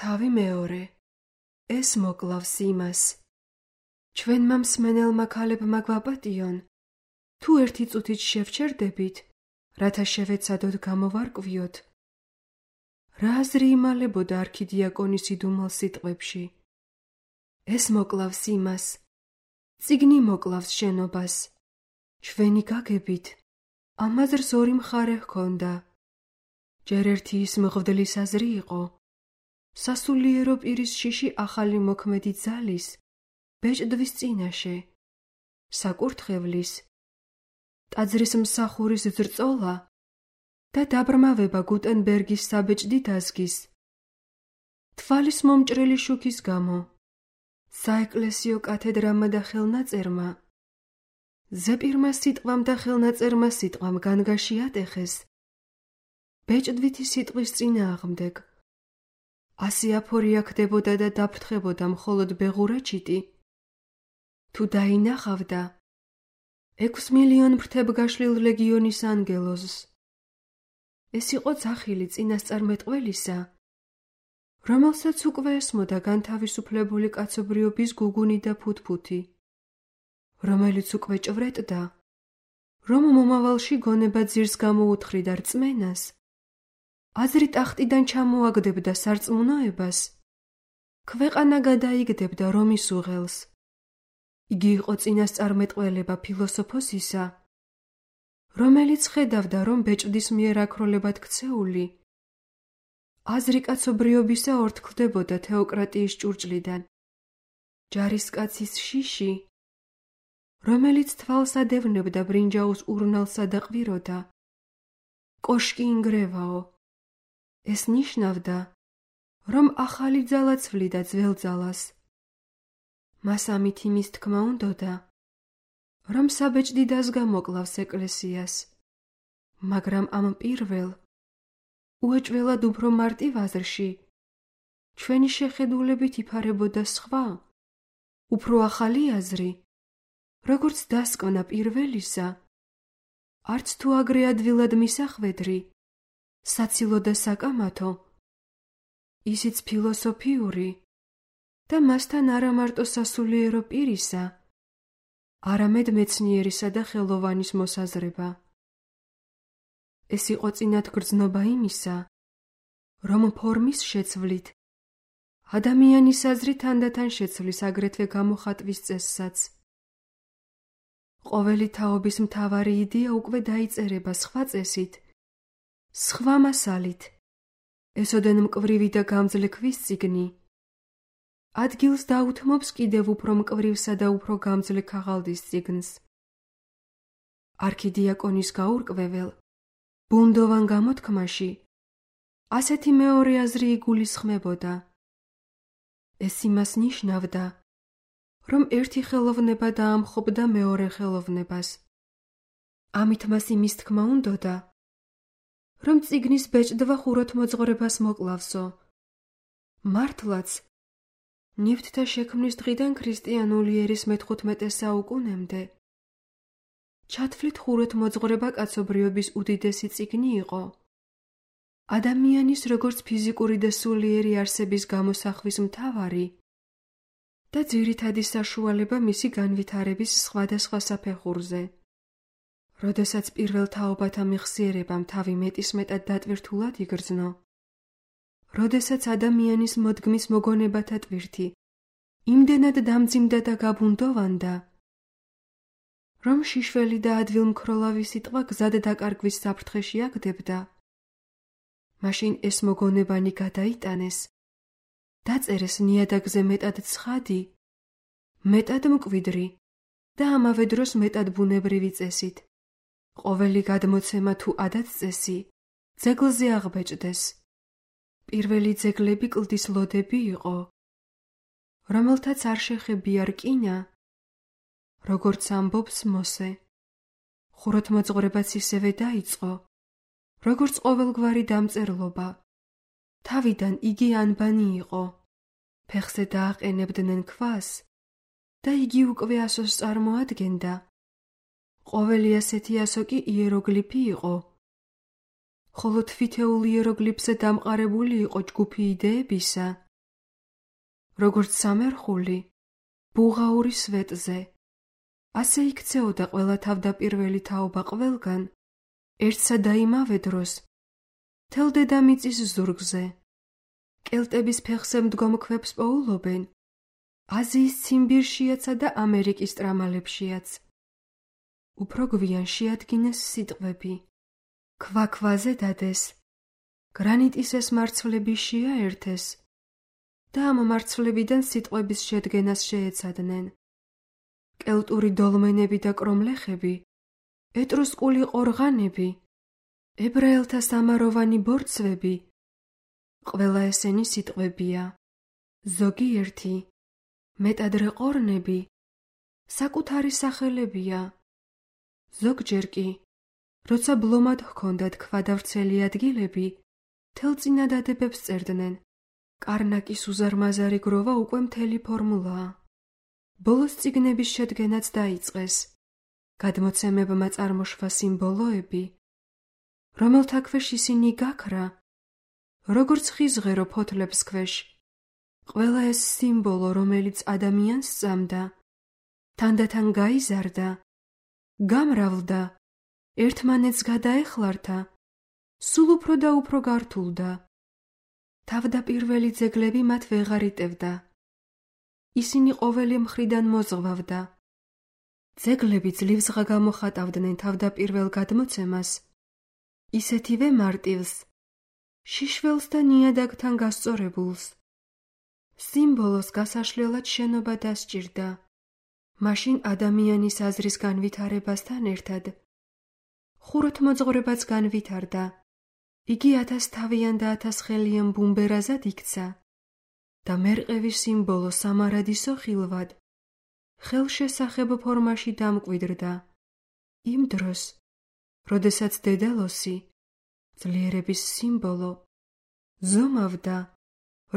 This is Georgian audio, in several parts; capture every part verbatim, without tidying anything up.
თავი მეორე. ეს მოკლავს იმას. ჩვენმა მსმენელმა ქალებმა გვაპატიონ, თუ ერთი წუთით შევჩერდებით, რათა შევეცადოთ გამოვარკვიოთ, რა აზრი იმალებოდა არქიდიაკონის იდუმალ სიტყვებში. ეს მოკლავს იმას. წიგნი მოკლავს შენობას. ჩვენი გაგებით, ამ აზრს ორი მხარე ჰქონდა. ჯერ ერთი ის მღვდლის აზრი იყო, სასულიერო პირის შიში ახალი მოქმედი ძალის, ბეჭდვის წინაშე, საკურთხევლის, ტაძრის მსახურის ძრწოლა და დაბრმავება გუტენბერგის საბეჭდი დაზგის, თვალის მომჭრელი შუქის გამო, საეკლესიო კათედრამა და ხელნაწერმა, ზეპირმა სიტყვამ და ხელნაწერმა სიტყვამ განგაში ატეხეს, ბეჭდვითი სიტყვის წინააღმდეგ. ასი აფორია ხდებოდა და დაფრთხებოდა მხოლოდ ბეღურაჩიტი. თუ დაინახავდა ექვს მილიონ ფრთებგაშლილ ლეგიონის ანგელოზს. ეს იყო ძახილი წინასწარმეტყველისა, რომელსაც უკვე ესმოდა განთავისუფლებული კაცობრიობის გუგუნი და ფუთფუთი, რომელიც უკვე ჭვრეტდა, რომ მომავალში გონება ძირს გამოუთხრიდა რწმენას, აზრი ტახტიდან ჩამოაგდებდა სარწმუნოებას, ქვეყანა გადაიგდებდა რომის უღელს. იგი იყო წინასწარმეტყველება ფილოსოფოსისა, რომელიც ხედავდა, რომ ბეჭდის მიერ აქროლებად ქცეული აზრი კაცობრიობისა ორთქლდებოდა თეოკრატიის ჭურჭლიდან. ჯარისკაცის შიში, რომელიც თვალს ადევნებდა ბრინჯაოს ურნალსა და ყვიროდა, კოშკი ინგრევაო. ეს ნიშნავდა, რომ ახალი ძალა ცვლიდა ძველ ძალას. მას ამით იმის თქმა უნდოდა, რომ საბეჭდი დაზგა მოკლავს ეკლესიას, მაგრამ ამ პირველ, უეჭველად უფრო მარტივ აზრში, ჩვენი შეხედულებით იფარებოდა სხვა, უფრო ახალი აზრი, როგორც დასკვნა პირველისა, არც თუ აგრე ადვილად მისახვედრი, საცილო და საკამათო, ისიც ფილოსოფიური და მასთან არა მარტო სასულიერო პირისა, არამედ მეცნიერისა და ხელოვანის მოსაზრება. ეს იყო წინათგრძნობა იმისა, რომ ფორმის შეცვლით ადამიანის აზრი თანდათან შეცვლის აგრეთვე გამოხატვის წესსაც. ყოველი თაობის მთავარი იდეა უკვე დაიწერება სხვა წესით, სხვა მასალით, ესოდენ მკვრივი და გამძლე ქვის წიგნი, ადგილს დაუთმობს კიდევ უფრო მკვრივსა და უფრო გამძლე ქაღალდის წიგნს. არქიდიაკონის გაურკვეվել, ბუნდოვან გამოთქმაში ასეთი მეორე აზრი იგულისხმებოდა. ეს იმას ნიშნავდა, რომ ერთი ხელოვნება დაამხობდა მეორე ხელოვნებას. ამით მას იმის თქმა უნდოდა, რომ წიგნის ბეჭდვა ხუროთმოძღვრებას მოკლავსო. მართლაც, ნივთთა შექმნის დღიდან ქრისტიანული ერის მეთხუთმეტე საუკუნემდე ჩათვლით ხუროთმოძღვრება კაცობრიობის უდიდესი წიგნი იყო. ადამიანის როგორც ფიზიკური და სულიერი არსების გამოსახვის მთავარი და ძირითადი საშუალება მისი განვითარების სხვადასხვა საფეხურზე. როდესაც პირველ თაობათა მეხსიერებამ თავი მეტისმეტად დატვირთულად იგრძნო, როდესაც ადამიანის მოდგმის მოგონებათა ტვირთი იმდენად დამძიმდა და გაბუნდოვანდა, რომ შიშველი და ადვილმქროლავი სიტყვა გზად დაკარგვის საფრთხეში აგდებდა, მაშინ ეს მოგონებანი გადაიტანეს, დაწერეს ნიადაგზე მეტად ცხადი, მეტად მკვიდრი და ამავე დროს მეტად ბუნებრივი წესით. ყოველი გადმოცემა თუ ადათ-წესი ძეგლზე აღბეჭდეს. პირველი ძეგლები კლდის ლოდები იყო, რომელთაც არ შეხებია რკინა, როგორც ამბობს მოსე. ხუროთმოძღვრებაც ისევე დაიწყო, როგორც ყოველგვარი დამწერლობა. თავიდან იგი ანბანი იყო, ფეხზე დააყენებდნენ ქვას და იგი უკვე ასოს წარმოადგენდა. ყოველი ასეთი ასო კი იეროგლიფი იყო, ხოლო თვითეულ იეროგლიფზე დამყარებული იყო ჯგუფი იდეებისა, როგორც სამერხული, ბუღაური სვეტზე. ასე იქცეოდა ყველა თავდაპირველი თაობა ყველგან, ერთსა და იმავე დროს, მთელ დედამიწის ზურგზე. კელტების ფეხზე მდგომ ქვებს პოულობენ, აზიის ციმბირშიაცა და ამერიკის ტრამალებშიაც. უფრო გვიან შეადგინეს სიტყვები, ქვა-ქვაზე დადეს, გრანიტის ეს მარცვლები შეაერთეს და ამ მარცვლებიდან სიტყვების შედგენას შეეცადნენ. კელტური დოლმენები და კრომლეხები, ეტრუსკული ყორღანები, ებრაელთა სამაროვანი ბორცვები, ყველა ესენი სიტყვებია. ზოგიერთი, მეტადრე ყორნები, საკუთარი სახელებია. ზოგჯერ კი, როცა ბლომად ჰქონდათ ქვადავრცელი ადგილები, მთელ წინადადებებს წერდნენ. კარნაკის უზარმაზარი გროვა უკვე მთელი ფორმულაა. ბოლოს წიგნების შედგენაც დაიწყეს. გადმოცემებმა წარმოშვა სიმბოლოები, რომელთა ქვეშ ისინი გაქრა, როგორც ხიზღერო ფოთლებს ქვეშ. ყველა ეს სიმბოლო, რომელიც ადამიანს სწამდა, თანდათან გაიზარდა, გამრავლდა, ერთმანეთს გადაეხლართა, სულ უფრო და უფრო გართულდა. თავდაპირველი ძეგლები მათ ვეღარ იტევდა. ისინი ყოველი მხრიდან მოზღვავდა. ძეგლები ძლივსღა გამოხატავდნენ თავდაპირველ გადმოცემას, ისეთივე მარტივს, შიშველს და ნიადაგთან გასწორებულს. სიმბოლოს გასაშლელად შენობა დასჭირდა, მაშინ ადამიანის აზრის განვითარებასთან ერთად ხუროთმოძღვრებაც განვითარდა. იგი ათასთავიან და ათასხელიან ბუმბერაზად იქცა და მერყევის სიმბოლო სამარადისო ხილვად ხელშესახებ ფორმაში დამკვიდრდა. იმ დროს, როდესაც დედალოსი, ძლიერების სიმბოლო, ზომავდა,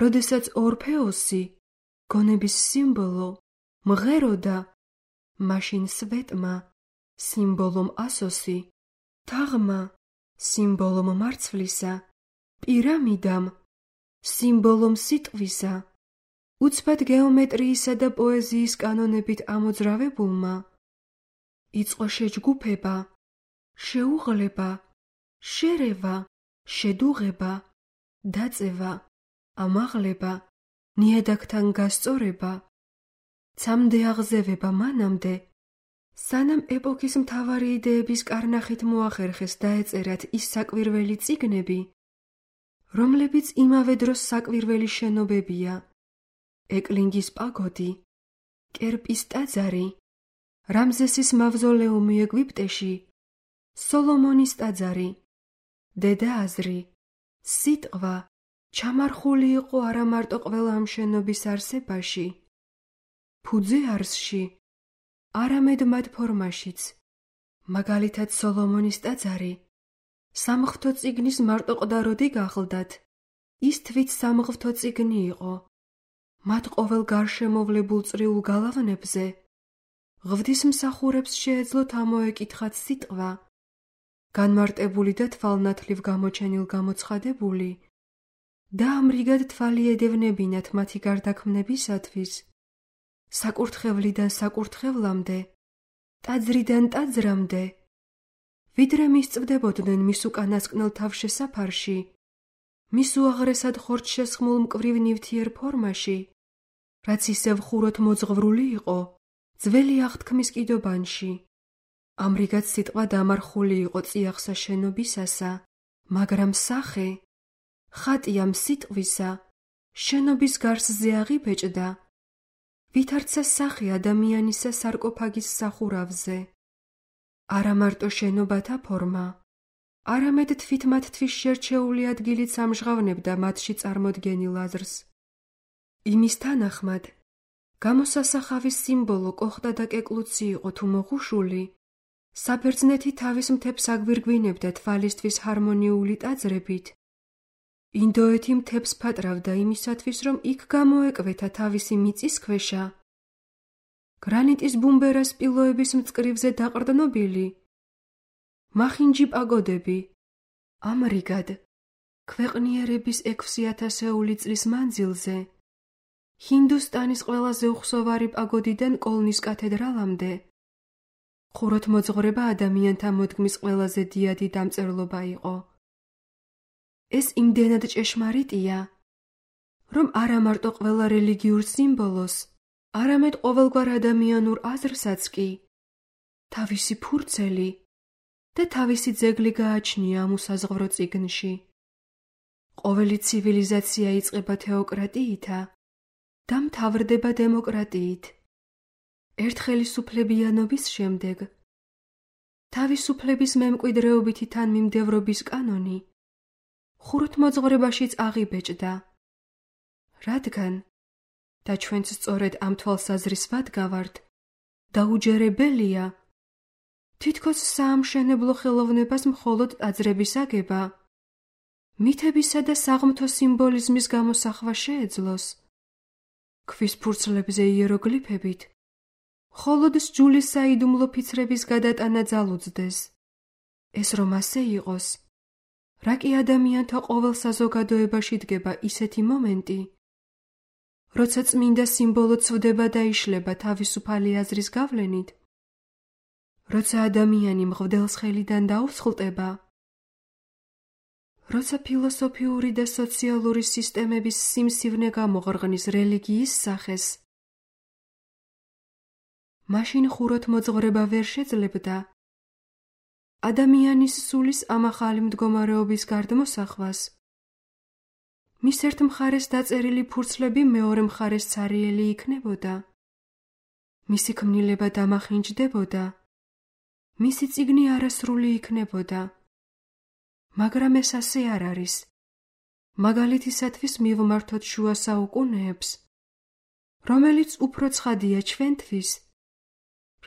როდესაც ორფეოსი, გონების სიმბოლო, მღეროდა, მაშინ სვეტმა, სიმბოლომ ასოსი, თაღმა, სიმბოლომ მარცვლისა, პირამიდამ, სიმბოლომ სიტყვისა, უცბად გეომეტრიისა და პოეზიის კანონებით ამოძრავებულმა, იწყო შეჯგუფება, შეუღლება, შერევა, შედუღება, დაწევა, ამაღლება, ნიადაგთან გასწორება, ცამდე აღზევება მანამდე, სანამ ეპოქის მთავარი იდეების კარნახით მოახერხეს და ეწერათ ის საკვირველი წიგნები, რომლებიც იმავე დროს საკვირველი შენობებია: ეკლინგის პაგოდი, კერპის ტაძარი, რამზესის მავზოლეუმი ეგვიპტეში, სოლომონის ტაძარი, დედა აზრი, სიტყვა ჩამარხული იყო არა მარტო ყველა ამ შენობის არსებაში, ფუძე არსში, არამედ მათ ფორმაშიც. მაგალითად სოლომონის ტაძარი სამღვთო წიგნის მარტოყდაროდი გახლდათ, ის თვით სამღვთო წიგნი იყო. მათ ყოველ გარშემოვლებულ წრიულ გალავნებზე ღვთისმსახურებს შეეძლოთ ამოეკითხათ სიტყვა, განმარტებული და თვალნათლივ გამოჩენილ გამოცხადებული და ამრიგად თვალი ედევნებინათ მათი გარდაქმნებისათვის, საკურთხევლიდან საკურთხევლამდე, ტაძრიდან ტაძრამდე, ვიდრე მისწვდებოდნენ მის უკანასკნელ თავშესაფარში, მის უაღრესად ხორცშესხმულ მკვრივ ნივთიერ ფორმაში, რაც ისევ ხუროთ მოძღვრული იყო ძველი აღთქმის კიდობანში. ამრიგად სიტყვა დამარხული იყო წიაღსა შენობისასა, მაგრამ სახე, ხატი ამ სიტყვისა, შენობის გარსზე აღიბეჭდა, ვითარცა სახე ადამიანისა სარკოფაგის სახურავზე. არა მარტო შენობათა ფორმა, არამედ თვით მათთვის შერჩეული ადგილიც ამჟღავნებდა მათში წარმოდგენილ აზრს. იმის თანახმად, გამოსასახავის სიმბოლო კოხტა და კეკლუცი იყო თუ მოღუშული, საბერძნეთი თავის მთებს აგვირგვინებდა თვალისთვის ჰარმონიული ტაძრებით. ინდოეთი მთებს ფატრავდა იმისათვის, რომ იქ გამოეკვეთა თავისი მიწისქვეშა, გრანიტის ბუმბერას სპილოების მწკრივზე დაყრდნობილი, მახინჯი პაგოდები. ამრიგად, ქვეყნიერების ექვსი ათასეული წლის მანძილზე ჰინდუსტანის ყველაზე უხსოვარი პაგოდიდან კოლნის კათედრალამდე, ხუროთმოძღვრება ადამიანთა მოდგმის ყველაზე დიადი დამწერლობა იყო. ეს იმდენად ჭეშმარიტია, რომ არა მარტო ყველა რელიგიურ სიმბოლოს, არამედ ყოველგვარ ადამიანურ აზრსაც კი თავისი ფურცელი და თავისი ძეგლი გააჩნია ამ უსაზღვრო წიგნში. ყოველი ცივილიზაცია იწყება თეოკრატიითა და მთავრდება დემოკრატიით. ერთხელისუფლებიანობის შემდეგ თავისუფლების მემკვიდრეობითი თანმიმდევრობის კანონი ხუროთმოძღვრებაშიც აღიბეჭდა, რადგან და ჩვენც სწორედ ამ თვალსაზრის ვადგავართ, დაუჯერებელია თითქოს საამშენებლო ხელოვნებას მხოლოდ ტაძრების აგება, მითებისა და საღმრთო სიმბოლიზმის გამოსახვა შეეძლოს, ქვის ფურცლებზე იეროგლიფებით, მხოლოდ სჯულის საიდუმლო ფიცრების გადატანა ძალუძდეს. ეს რომ ასე იყოს, რა კი ადამიანთა ყოველ საზოგადოებაში დგება ისეთი მომენტი, როცა წმინდა სიმბოლო ცვდება და იშლება თავისუფალი აზრის გავლენით, როცა ადამიანი მღვდელს ხელიდან დაუსხლტება, როცა ფილოსოფიური და სოციალური სისტემების სიმსივნე გამოღრღნის რელიგიის სახეს, მაშინ ხუროთმოძღვრება ვერ შეძლებდა ადამიანის სულის ამ ახალი მდგომარეობის გარდმოსახვას. მის ერთ მხარეს დაწერილი ფურცლები მეორე მხარეს ცარიელი იქნებოდა, მისი ქმნილება დამახინჯდებოდა, მისი წიგნი არასრული იქნებოდა. მაგრამ ეს ასე არ არის. მაგალითისათვის მივმართოთ შუა საუკუნეებს, რომელიც უფრო ცხადია ჩვენთვის,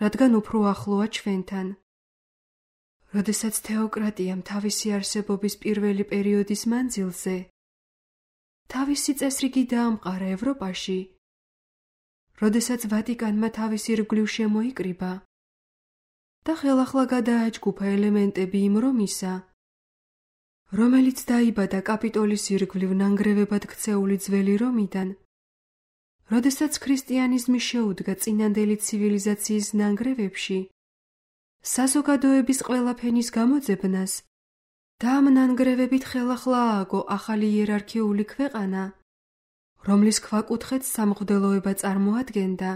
რადგან უფრო ახლოა ჩვენთან. როდესაც თეოკრატიამ თავისი არსებობის პირველი პერიოდის მანძილზე თავისი წესრიგი დაამყარა ევროპაში, როდესაც ვატიკანმა თავისი ირგვლივ შემოიკრიბა და ხელახლა გადააჯგუფა ელემენტები იმ რომისა, რომელიც დაიბადა კაპიტოლის ირგვლივ ნანგრევებად ქცეული ძველი რომიდან, როდესაც ქრისტიანიზმი შეუდგა წინანდელი ცივილიზაციის ნანგრევებში საზოგადოების ყველა ფენის გამოძებნას და ამ ნანგრევებით ხელახლა ააგო ახალი იერარქიული ქვეყანა, რომლის ქვაკუთხედს სამღვდელოება წარმოადგენდა.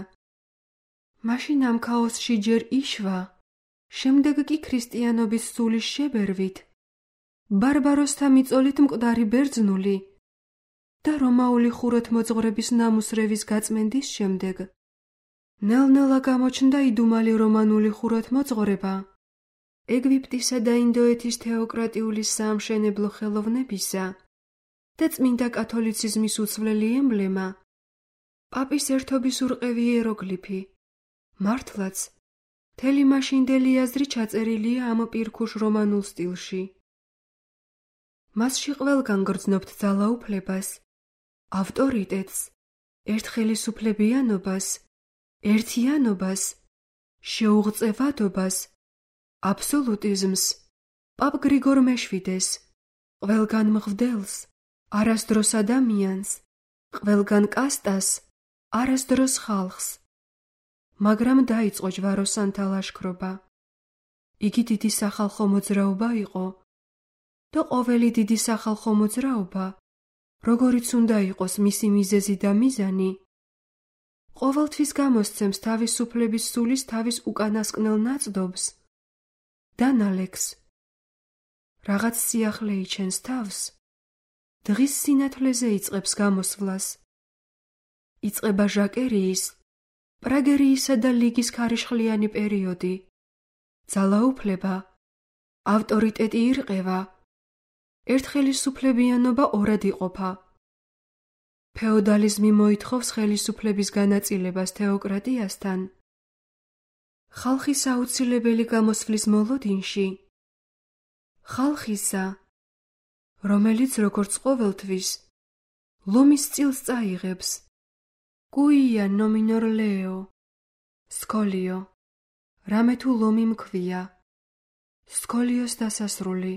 მაშინ ამ ქაოსში ჯერ იშვა, შემდეგ კი ქრისტიანობის სულის შებერვით, ბარბაროსთა მიწოლით მკვდარი ბერძნული და რომაული ხუროთმოძღვრების ნამუსრევის გაწმენდის შემდეგ ნელ-ნელა გამოჩნდა იდუმალი რომანული ხუროთმოძღვრება, ეგვიპტისა და ინდოეთის თეოკრატიული საამშენებლო ხელოვნებისა და წმინდა კათოლიციზმის უცვლელი ემბლემა, პაპის ერთობის ურყევი იეროგლიფი. მართლაც, მთელი მაშინდელი აზრი ჩაწერილია ამ პირქუშ რომანულ სტილში. მასში ყველგან გრძნობთ ძალაუფლებას, ავტორიტეტს, ერთხელისუფლებიანობას, ერთიანობას, შეუღწევადობას, აბსოლუტიზმს, პაპ გრიგორ მეშვიდეს, ყველგან მღვდელს, არასდროს ადამიანს, ყველგან კასტას, არასდროს ხალხს. მაგრამ დაიწყო ჯვაროსანთა ლაშქრობა. იგი დიდი სახალხო მოძრაობა იყო და ყოველი დიდი სახალხო მოძრაობა, როგორიც უნდა იყოს მისი მიზეზი და მიზანი, ყოველთვის გამოსცემს თავისუფლების სულის თავის უკანასკნელ ნაწდობს და ნალექს. რაღაც სიახლე იჩენს თავს, დღის სინათლეზე იწყებს გამოსვლას. იწყება ჟაკერიის, პრაგერიისა და ლიგის ქარიშხლიანი პერიოდი. ძალაუფლება, ავტორიტეტი ირყევა, ერთხელისუფლებიანობა ორად იყოფა. ფეოდალიზმი მოითხოვს ხელისუფლების განაწილებას თეოკრატიასთან. ხალხის აუცილებელი გამოსვლის მოლოდინში, ხალხისა, რომელიც როგორც ყოველთვის ლომის წილს წაიღებს, კუია ნომინორ ლეო, სკოლიო, რამე თუ ლომი მქვია, სკოლიოს დასასრული,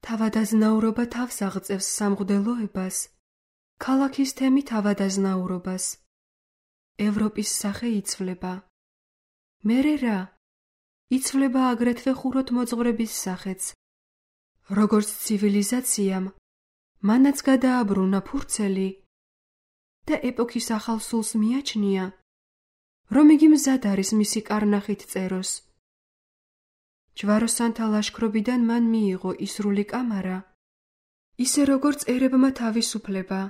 თავადაზნაურობა თავს აღწევს სამღვდელოებას ქალაქის თემით ავადაზნაურობას. ევროპის სახე იცვლება. მერე რა? იცვლება აგრეთვე ხუროთმოძღვრების სახეც. როგორც ცივილიზაციამ, მანაც გადააბრუნა ფურცელი და ეპოქის ახალ სულს მიაჩნია, რომ იგი მზად არის მისი კარნახით წეროს. ჯვაროსანთა ლაშქრობიდან მან მიიღო ისრული კამარა, ისე როგორც ერებმა თავისუფლება.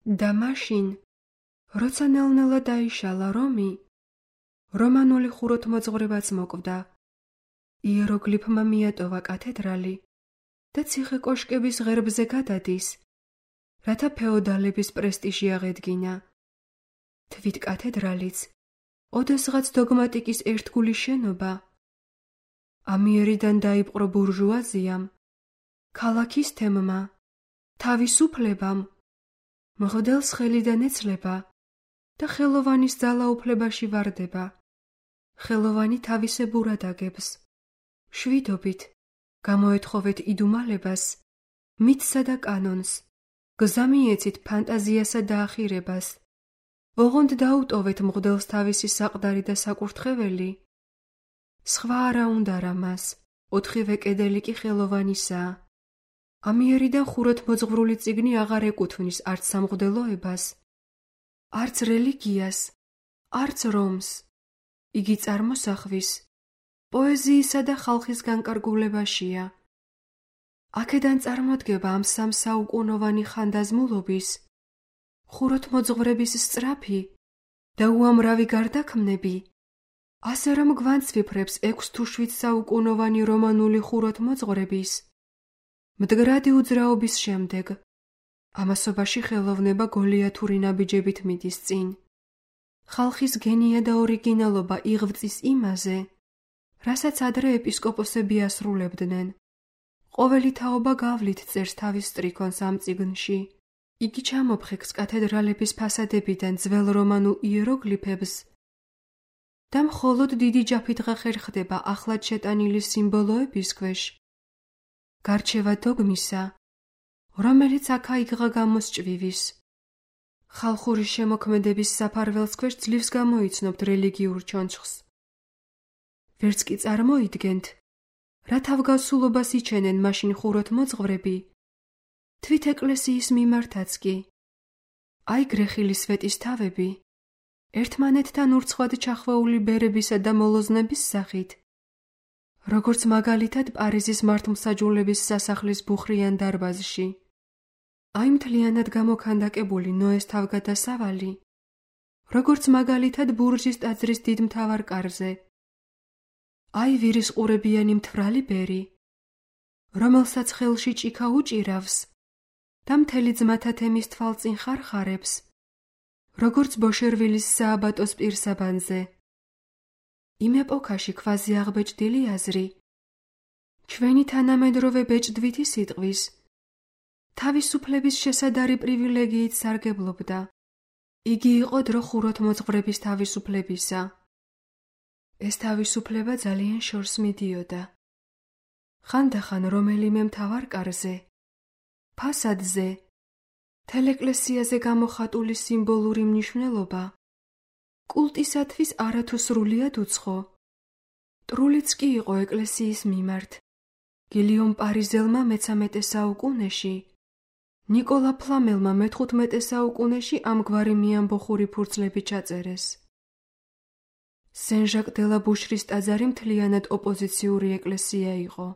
და მაშინ, როცა ნელ-ნელა დაიშალა რომი, რომანული ხუროთმოძღვრებაც მოკვდა. იეროგლიფმა მიატოვა კათედრალი და ციხე კოშკების ღერბზე გადადის, რათა ფეოდალების პრესტიჟი აღედგინა. თვით კათედრალიც, ოდესღაც დოგმატიკის ერთგული შენობა, ამიერიდან დაიპყრო ბურჟუაზიამ, ქალაქის თემმა, თავისუფლებამ, მღვდელს ხელიდან ეცლება და ხელოვანის ძალაუფლებაში ვარდება. ხელოვანი თავისებურად აგებს. შვიდობით, გამოეთხოვეთ იდუმალებას, მითსა და კანონს, გზამიეცით ფანტაზიასა და ახირებას. ოღონდ დაუტოვეთ მღვდელს თავისი საყდარი და საკურთხეველი. სხვა არა უნდა რა მას, ოთხივე კედელი კი ხელოვანისაა. ამიერიდან ხუროთმოძღვრული წიგნი აღარ ეკუთვნის არც სამღვდელოებას, არც რელიგიას, არც რომს. იგი წარმოსახვის, პოეზიისა და ხალხის განკარგულებაშია. აქედან წარმოდგება ამ სამსაუკუნოვანი ხანდაზმულობის, ხუროთმოძღვრების სწრაფი და უამრავი გარდაქმნები, ასე რომ გვანცვიფრებს ექვს თუ შვიდ საუკუნოვანი რომანული ხუროთმოძღვრების მდგრადი უძრაობის შემდეგ. ამასობაში ხელოვნება გოლიათური ნაბიჯებით მიდის წინ. ხალხის გენია და ორიგინალობა იღწვის იმაზე, რასაც ადრე ეპისკოპოსები ასრულებდნენ. ყოველი თაობა გავლით წერს თავის სტრიქონს ამ წიგნში. იგი ჩამოფხეკს კათედრალების ფასადებიდან ძველ რომანულ იეროგლიფებს და მხოლოდ დიდი ჯაფით ხერხდება ახლად შეტანილი სიმბოლოების ქვეშ. გარჩევა დოგმისა, რომელიც აქა-იქღა გამოსჭვივის. ხალხური შემოქმედების საფარველს ქვეშ ძლივს გამოიცნობთ რელიგიურ ჩონჩხს. ვერც კი წარმოიდგენთ, რა თავგასულობას იჩენენ მაშინ ხუროთმოძღვრები, თვით ეკლესიის მიმართაც კი. აი გრეხილი სვეტისთავები, ერთმანეთთან ურცხვად ჩახვეული ბერებისა და მოლოზნების სახით, როგორც მაგალითად პარიზის მართლმსაჯულების სასახლის ბუხრიან დარბაზში. აი მთლიანად გამოქანდაკებული ნოეს თავგადასავალი, როგორც მაგალითად ბურჯის ტაძრის დიდ მთავარ კარზე. აი ვირისყურებიანი მთვრალი ბერი, რომელსაც ხელში ჭიქა უჭირავს და მთელი ძმათა თემის თვალწინ ხარხარებს, როგორც ბოშერვილის სააბატოს პირსაბანზე. იმ ეპოქაში ქვაზე აღბეჭდილი აზრი, ჩვენი თანამედროვე ბეჭდვითი სიტყვის, თავისუფლების შესადარი პრივილეგიით სარგებლობდა. იგი იყო დრო ხუროთმოძღვრების თავისუფლებისა. ეს თავისუფლება ძალიან შორს მიდიოდა. ხანდახან რომელიმე მთავარ კარზე, ფასადზე, თელეკლესიაზე გამოხატული სიმბოლური მნიშვნელობა კულტისათვის არათუ სრულიად უცხო. ტრულიც კი იყო ეკლესიის მიმართ. გილიომ პარიზელმა მეცამეტე საუკუნეში, ნიკოლა ფლამელმა მეთხუთმეტე საუკუნეში ამგვარი მიამბოხური ფურცლები ჩაწერეს. სენ-ჟაკ დე ლა ბუშრის ტაძარი მთლიანად ოპოზიციური ეკლესია იყო.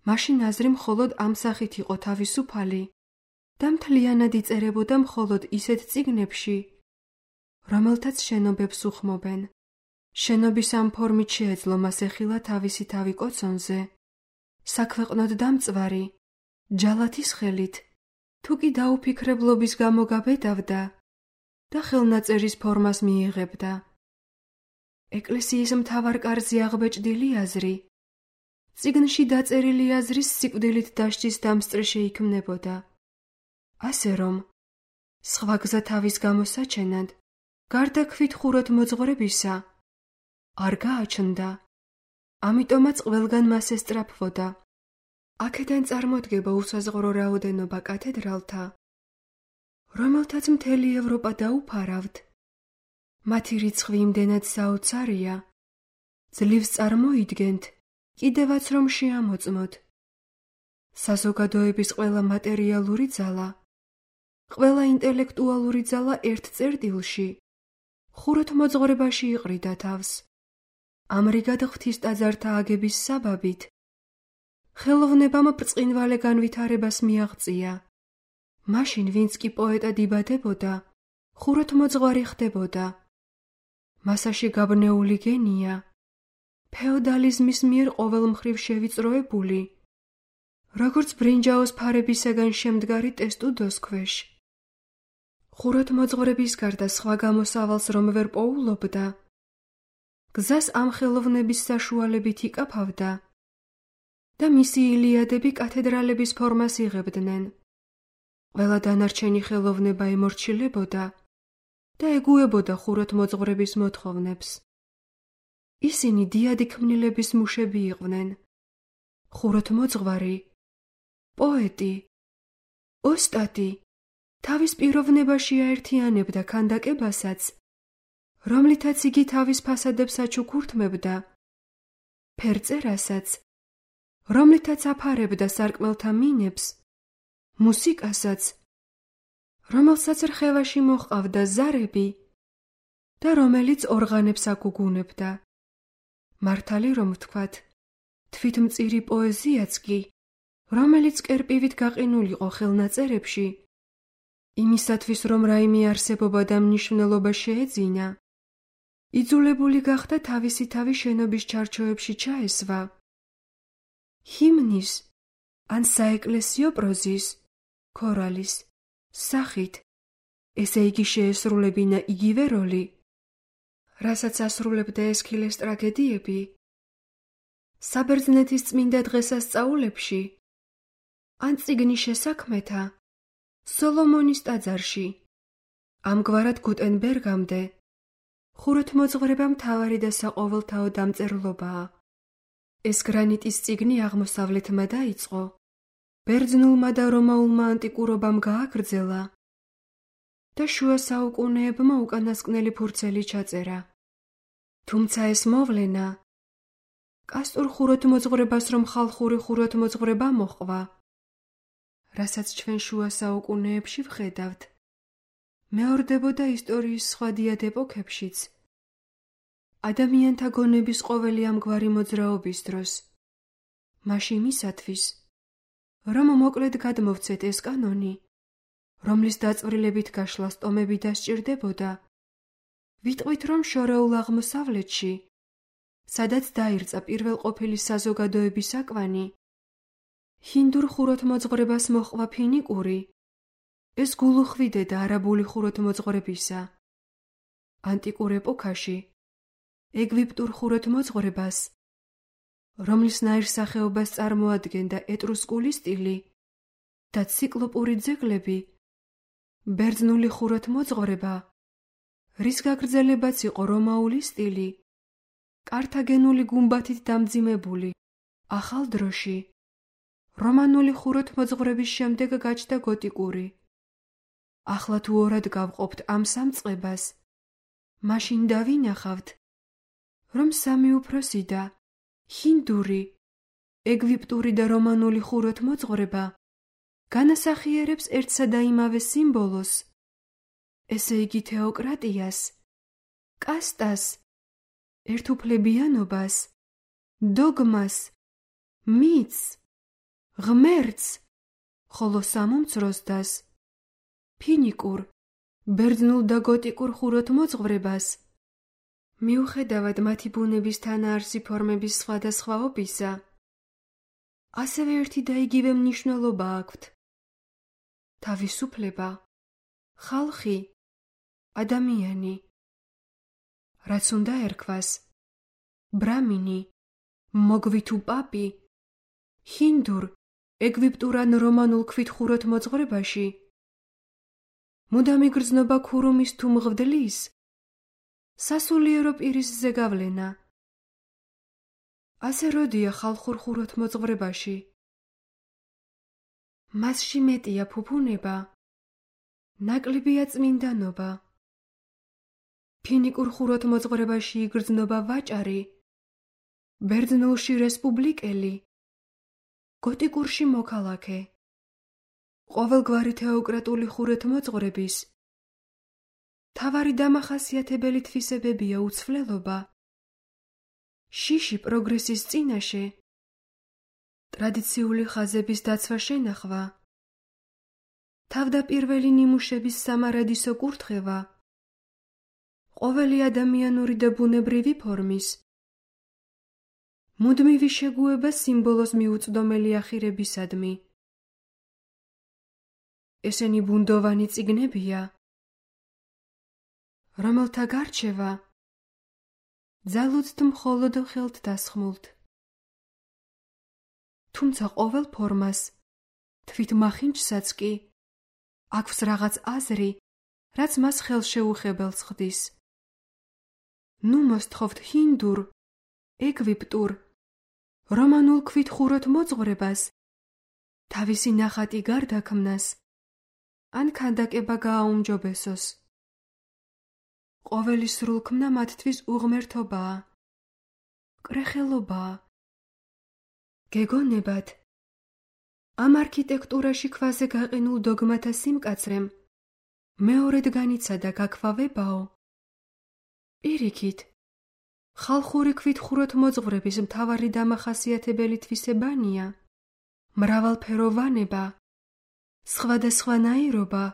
მაშინ აზრი მხოლოდ ამ სახით იყო თავისუფალი და მთლიანად იწერებოდა მხოლოდ ისეთ წიგნებში, რომელთაც შენობებს უხმობენ. შენობის ამ ფორმით შეეძლო მას ეხილა თავისი თავი კოცონზე, საქვეყნოდ დამწვარი, ჯალათის ხელით, თუ კი დაუფიქრებლობის გამო გაბედავდა და ხელნაწერის ფორმას მიიღებდა. ეკლესიის მთავარ კარზე აღბეჭდილი აზრი, წიგნში დაწერილი აზრის სიკვდილით დასჯის დამსწრე შეიქმნებოდა. ასე რომ, სხვა გზა თავის გამოსაჩენად, გარდა ქვითხუროთმოძღვრებისა, არ გააჩნდა. ამიტომაც ყველგან მას ესწრაფვოდა. აქედან წარმოდგება უსაზღვრო რაოდენობა კათედრალთა რომელთაც მთელი ევროპა დაუფარავთ. მათი რიცხვი იმდენად საოცარია, ძლივს წარმოიდგენთ, კიდევაც რომ შეამოწმოთ. საზოგადოების ყველა მატერიალური ძალა, ყველა ინტელექტუალური ძალა ერთ წერტილში, ხუროთმოძღვრებაში იყრიდა თავს. ამრიგად ღვთის ტაძართა აგების საბაბით ხელოვნებამ ბრწყინვალე განვითარებას მიაღწია. მაშინ ვინც კი პოეტად იბადებოდა, ხუროთმოძღვარი ხდებოდა. მასაში გაბნეული გენია, ფეოდალიზმის მიერ ყოველმხრივ შევიწროებული, როგორც ბრინჯაოს ფარებისაგან შემდგარი ტესტუდოს ქვეშ. ხუროთმოძღვრების გარდა სხვა გამოსავალს რომ ვერ პოულობდა, გზას ამ ხელოვნების საშუალებით იკაფავდა და მისი ილიადები კათედრალების ფორმას იღებდნენ. ყველა დანარჩენი ხელოვნება ემორჩილებოდა და ეგუებოდა ხუროთმოძღვრების მოთხოვნებს. ისინი დიადი ქმნილების მუშები იყვნენ. ხუროთმოძღვარი, პოეტი, ოსტატი თავის პიროვნებაში აერთიანებდა ქანდაკებასაც, რომლითაც იგი თავის ფასადებს აჩუქურთმებდა, ფერწერასაც, რომლითაც აფარებდა სარკმელთა მინებს, მუსიკასაც, რომელსაც რხევაში მოჰყავდა ზარები და რომელიც ორღანებს აკუგუნებდა. მართალი რომ ვთქვათ, თვითმწირი პოეზიაც კი, რომელიც კერპივით გაყინულიყო ხელნაწერებში, იმისათვის რომ რაიმე არსებობა და მნიშვნელობა შეეძინა, იძულებული გახდა თავისი თავი შენობის ჩარჩოებში ჩაესვა. ჰიმნის ან საეკლესიო პროზის, ქორალის სახით, ესე იგი შეესრულებინა იგივე როლი, რასაც ასრულებდა ესქილეს ტრაგედიები, საბერძნეთის წმინდა დღესასწაულებში, ან წიგნის შესაქმეთა, სოლომონის ტაძარში. ამგვარად გუტენბერგამდე ხუროთმოძღვრება მთავარი და საყოველთაო დამწერლობაა. ეს გრანიტის წიგნი აღმოსავლეთმა დაიწყო, ბერძნულმა და რომაულმა ანტიკურობამ გააგრძელა და შუა საუკუნეებმა უკანასკნელი ფურცელი ჩაწერა. თუმცა ეს მოვლენა კასტურ ხუროთმოძღვრებას რომ ხალხური ხუროთმოძღვრება მოჰყვა, რასაც ჩვენ შუა საუკუნეებში ვხედავთ, მეორდებოდა ისტორიის სხვა დიად ეპოქებშიც, ადამიანთა გონების ყოველი ამგვარი მოძრაობის დროს, მაშინ მისათვის, რომ მოკლედ გადმოვცეთ ეს კანონი, რომლის დაწვრილებით გაშლას ტომები დასჭირდებოდა, ვიტყვით რომ შორეულ აღმოსავლეთში, სადაც დაირწა პირველყოფილი საზოგადოების აკვანი, ჰინდურ ხუროთმოძღვრებას მოჰყვა ფინიკური, ეს გულუხვიდედა არაბული ხუროთმოძღვრებისა. ანტიკურ ეპოქაში ეგვიპტურ ხუროთმოძღვრებას, რომლის ნაირსახეობას წარმოადგენდა ეტრუსკული სტილი და ციკლოპური ძეგლები, ბერძნული ხუროთმოძღვრება, რის გაგრძელებაც იყო რომაული სტილი, კართაგენული გუმბათით დამძიმებული, ახალ დროში, რომანული ხუროთმოძღვრების შემდეგ გაჩნდა გოტიკური. ახლა თუ ორად გავყოფთ ამ სამწყებას, მაშინ დავინახავთ, რომ სამი უფროსი და ჰინდური, ეგვიპტური და რომანული ხუროთმოძღვრება განასახიერებს ერთსა და იმავე სიმბოლოს, ესე იგი თეოკრატიას, კასტას, ერთუფლებიანობას, დოგმას, მითს, ღმერთს, ხოლო სამომცროს დას, ფინიკურ, ბერძნულ და გოტიკურ ხუროთმოძღვრებას, მიუხედავად მათი ბუნების თანაარსი ფორმების სხვადასხვაობისა, ასევე ერთი და იგივე მნიშვნელობა აქვთ. თავისუფლება, ხალხი, ადამიანი. რაც უნდა ერქვას, ბრამინი, მოგვი თუ პაპი, ჰინდურ, ეგვიპტურ ან რომანულ ქვით ხუროთმოძღვრებაში, მუდამი გრძნობა ქურუმის თუ მღვდლის, სასულიერო პირის ზეგავლენა. ასე როდია ხალხურ ხუროთმოძღვრებაში. მასში მეტია ფუფუნება, ნაკლებია წმინდანობა. ფინიკურ ხუროთმოძღვრებაში იგრძნობა ვაჭარი, ბერძნულში რესპუბლიკელი, გოტიკურში მოქალაქე. ყოველგვარი თეოკრატული ხუროთმოძღვრების მთავარი დამახასიათებელი თვისებებია უცვლელობა, შიში პროგრესის წინაშე, ტრადიციული ხაზების დაცვა შენახვა, თავდაპირველი ნიმუშების სამარადისო კურთხევა, ყოველი ადამიანური და ბუნებრივი ფორმის, მუდმივი შეგუება სიმბოლოს მიუწვდომელი ახირებისადმი. ესენი ბუნდოვანი წიგნებია, რომელთა გარჩევა ძალუძთ მხოლოდ ხელთ დასხმულთ. თუმცა ყოველ ფორმას, თვით მახინჯსაც კი, აქვს რაღაც აზრი, რაც მას ხელშეუხებელს ხდის. ნუ მოსთხოვთ ჰინდურ, ეგვიპტურ, რომანულ ქვით ხუროთმოძღვრებას, თავისი ნახატი გარდაქმნას, ან ქანდაკება გააუმჯობესოს. ყოველი სრულქმნა მათთვის უღმერთობაა, კრეხელობაა. გეგონებათ, ამ არქიტექტურაში ქვაზე გაყინულ დოგმათა სიმკაცრემ მეორედ განიცადა გაქვავებაო. პირიქით, ხალხური ქვით ხუროთმოძღვრების მთავარი დამახასიათებელი თვისებანია მრავალფეროვანება, სხვადასხვანაირობა,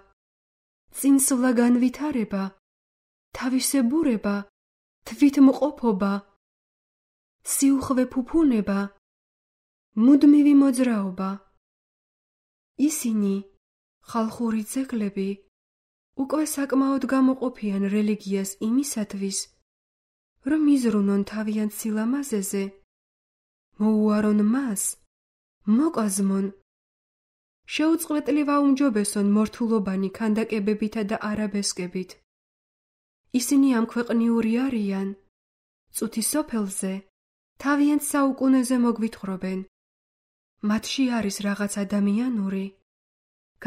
წინსვლა განვითარება, თავისებურება, თვითმყოფობა, სიუხვე ფუფუნება, მუდმივი მოძრაობა. ისინი, ხალხური ძეგლები, უკვე საკმაოდ გამოყოფიან რელიგიას იმისათვის, რომ იზრუნონ თავიანთ სილამაზეზე, მოუარონ მას, მოკაზმონ, შეუწყვეტლივ აუმჯობესონ მორთულობანი ქანდაკებებითა და არაბესკებით. ისინი ამქვეყნიური არიან, წუთი სოფელზე, თავიანთ საუკუნეზე მოგვითხრობენ. მათში არის რაღაც ადამიანური,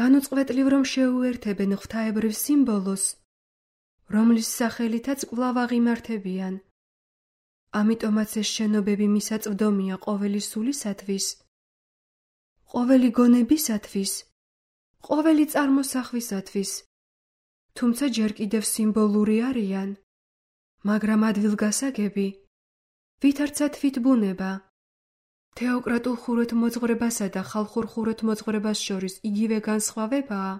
განუწყვეტლივ რომ შეუერთებენ ღვთაებრივ სიმბოლოს, რომლის სახელითაც კვლავ აღიმართებიან. ამიტომაც ეს შენობები მისაწვდომია ყოველი სულისათვის, ყოველი გონებისათვის, ყოველი წარმოსახვისათვის, თუმცა ჯერ კიდევ სიმბოლური არიან, მაგრამ ადგილგასაგები, ვითარცა თვითბუნება. თეოკრატულ ხუროთმოძღვრებასა და ხალხურ ხუროთმოძღვრებას შორის იგივე განსხვავებაა,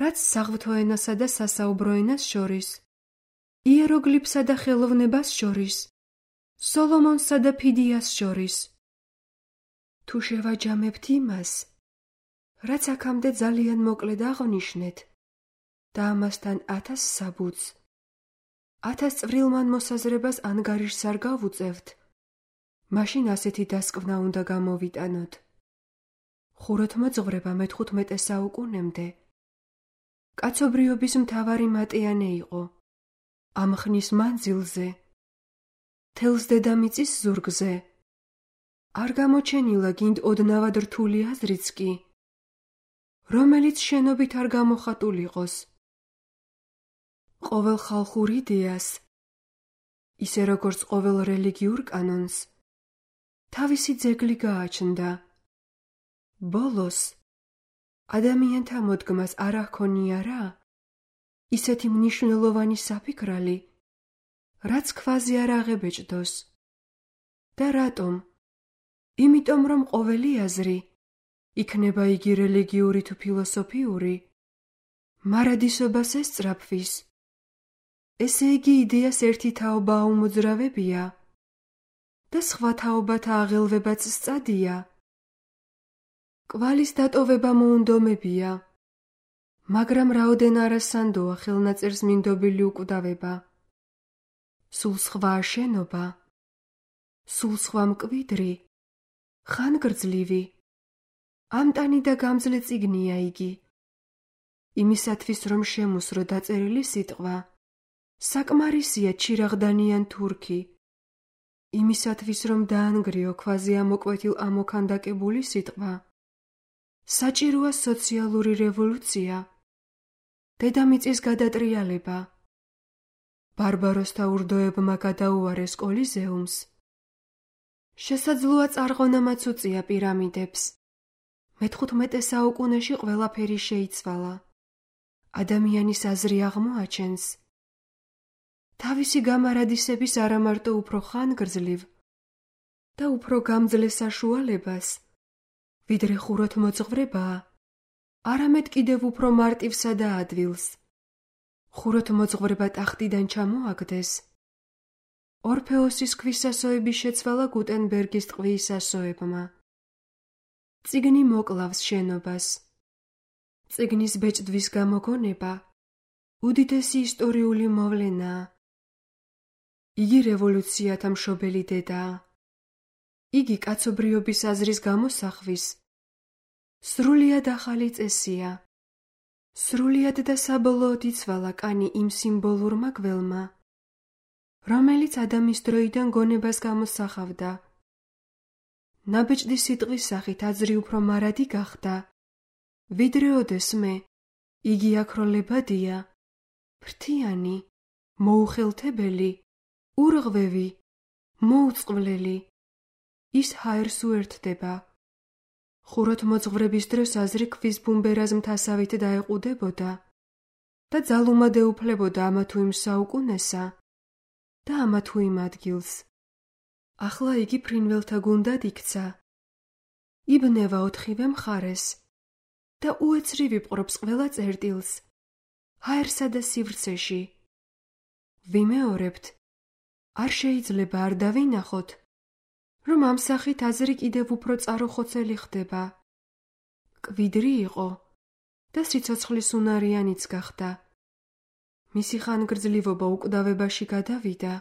რაც საღვთო ენასა და სასაუბრო ენას შორის, იეროგლიფსა და ხელოვნებას შორის, სოლომონსა და ფიდიას შორის. თუ შევაჯამებთ იმას, რაც აქამდე ძალიან მოკლედ აღნიშნეთ, და ამასთან ათას საბუთს, ათას წვრილმან მოსაზრებას ანგარიშს არ გავუწევთ, მაშინ ასეთი დასკვნა უნდა გამოვიტანოთ. ხუროთმოძღვრება მეთხუთმეტე საუკუნემდე კაცობრიობის მთავარი მატიანე იყო. ამ ხნის მანძილზე, თელს დედამიწის ზურგზე, არ გამოჩენილა გინდ ოდნავად რთული აზრიც კი, რომელიც შენობით არ გამოხატულიყოს. ყოველ ხალხურ იდეას, ისე როგორც ყოველ რელიგიურ კანონს, თავისი ძეგლი გააჩნდა. ბოლოს, ადამიანთა მოდგმას არ ახონია რა, ისეთი მნიშვნელოვანი საფიქრალი, რაც ქვაზე არ აღებეჭდოს. და რატომ? იმიტომ რომ ყოველი აზრი, იქნება იგი რელიგიური თუ ფილოსოფიური, მარადისობას ესწრაფვის. ესე იგი იდეას ერთი თაობა აუმოძრავებია და სხვა თაობათა აღელვებაც სწადია. კვალის დატოვება მოუნდომებია, მაგრამ რაოდენ არასანდოა ხელნაწერს მინდობილი უკვდავება. სულ სხვაა შენობა, სულ სხვა მკვიდრი, ხანგრძლივი, ამტანი და გამძლე წიგნია იგი. იმისათვის რომ შემუსრო დაწერილი სიტყვა, საკმარისია ჩირაღდანიან თურქი. იმისათვის რომ დაანგრიო ქვაზე ამოკვეთილ ამოქანდაკებული სიტყვა, საჭიროა სოციალური რევოლუცია დედამიწის გადატრიალება. ბარბაროსთა ურდოებმა გადაუარეს კოლიზეუმს. შესაძლოა წარღონამაც უწია პირამიდებს. მეთხუთმეტე საუკუნეში ყველაფერი შეიცვალა. ადამიანის აზრი აღმოაჩენს. თავისი გამარადისების არამარტო უფრო ხანგრძლივ და უფრო გამძლე საშუალებას, ვიდრე ხუროთმოძღვრებაა, არამედ კიდევ უფრო მარტივსა და ადვილს. ხუროთმოძღვრება ტახტიდან ჩამოაგდეს. ორფეოსის ქვისასოების შეცვალა გუტენბერგის ტყვის ასოებმა. წიგნი მოკლავს შენობას. წიგნის ბეჭდვის გამოგონება უდიდესი ისტორიული მოვლენაა. იგი რევოლუციათა მშობელი დედაა. იგი კაცობრიობის აზრის გამოსახვის სრულიად ახალი წესია. სრულიად და საბოლოოდ იცვალა კანი იმ სიმბოლურმა გველმა, რომელიც ადამის დროიდან გონებას გამოსახავდა. ნაბეჭდი სიტყვის სახით აზრი უფრო მარადი გახდა, ვიდრე ოდესმე იგი აქროლებადია, ფრთიანი, მოუხელთებელი, ურღვევი, მოუწყვლელი. ის ჰაერს უერთდება. ხუროთმოძღვრების დროს აზრი ქვის ბუმბერას მთასავით დაეყუდებოდა და ძალუმად ეუფლებოდა ამა თუ იმ საუკუნესა და ამა თუ იმ ადგილს. ახლა იგი ფრინველთა გუნდად იქცა. იბნევა ოთხივე მხარეს და უეცრი ვიპყრობს ყველა წერტილს, ჰაერსა და სივრცეში. ვიმეორებთ, არ შეიძლება არ დავინახოთ, რომ ამ სახით აზრი კიდევ უფრო წარუხოცელი ხდება. კვიდრი იყო და სიცოცხლის უნარიანიც გახდა. მისი ხანგრძლივობა უკვდავებაში გადავიდა.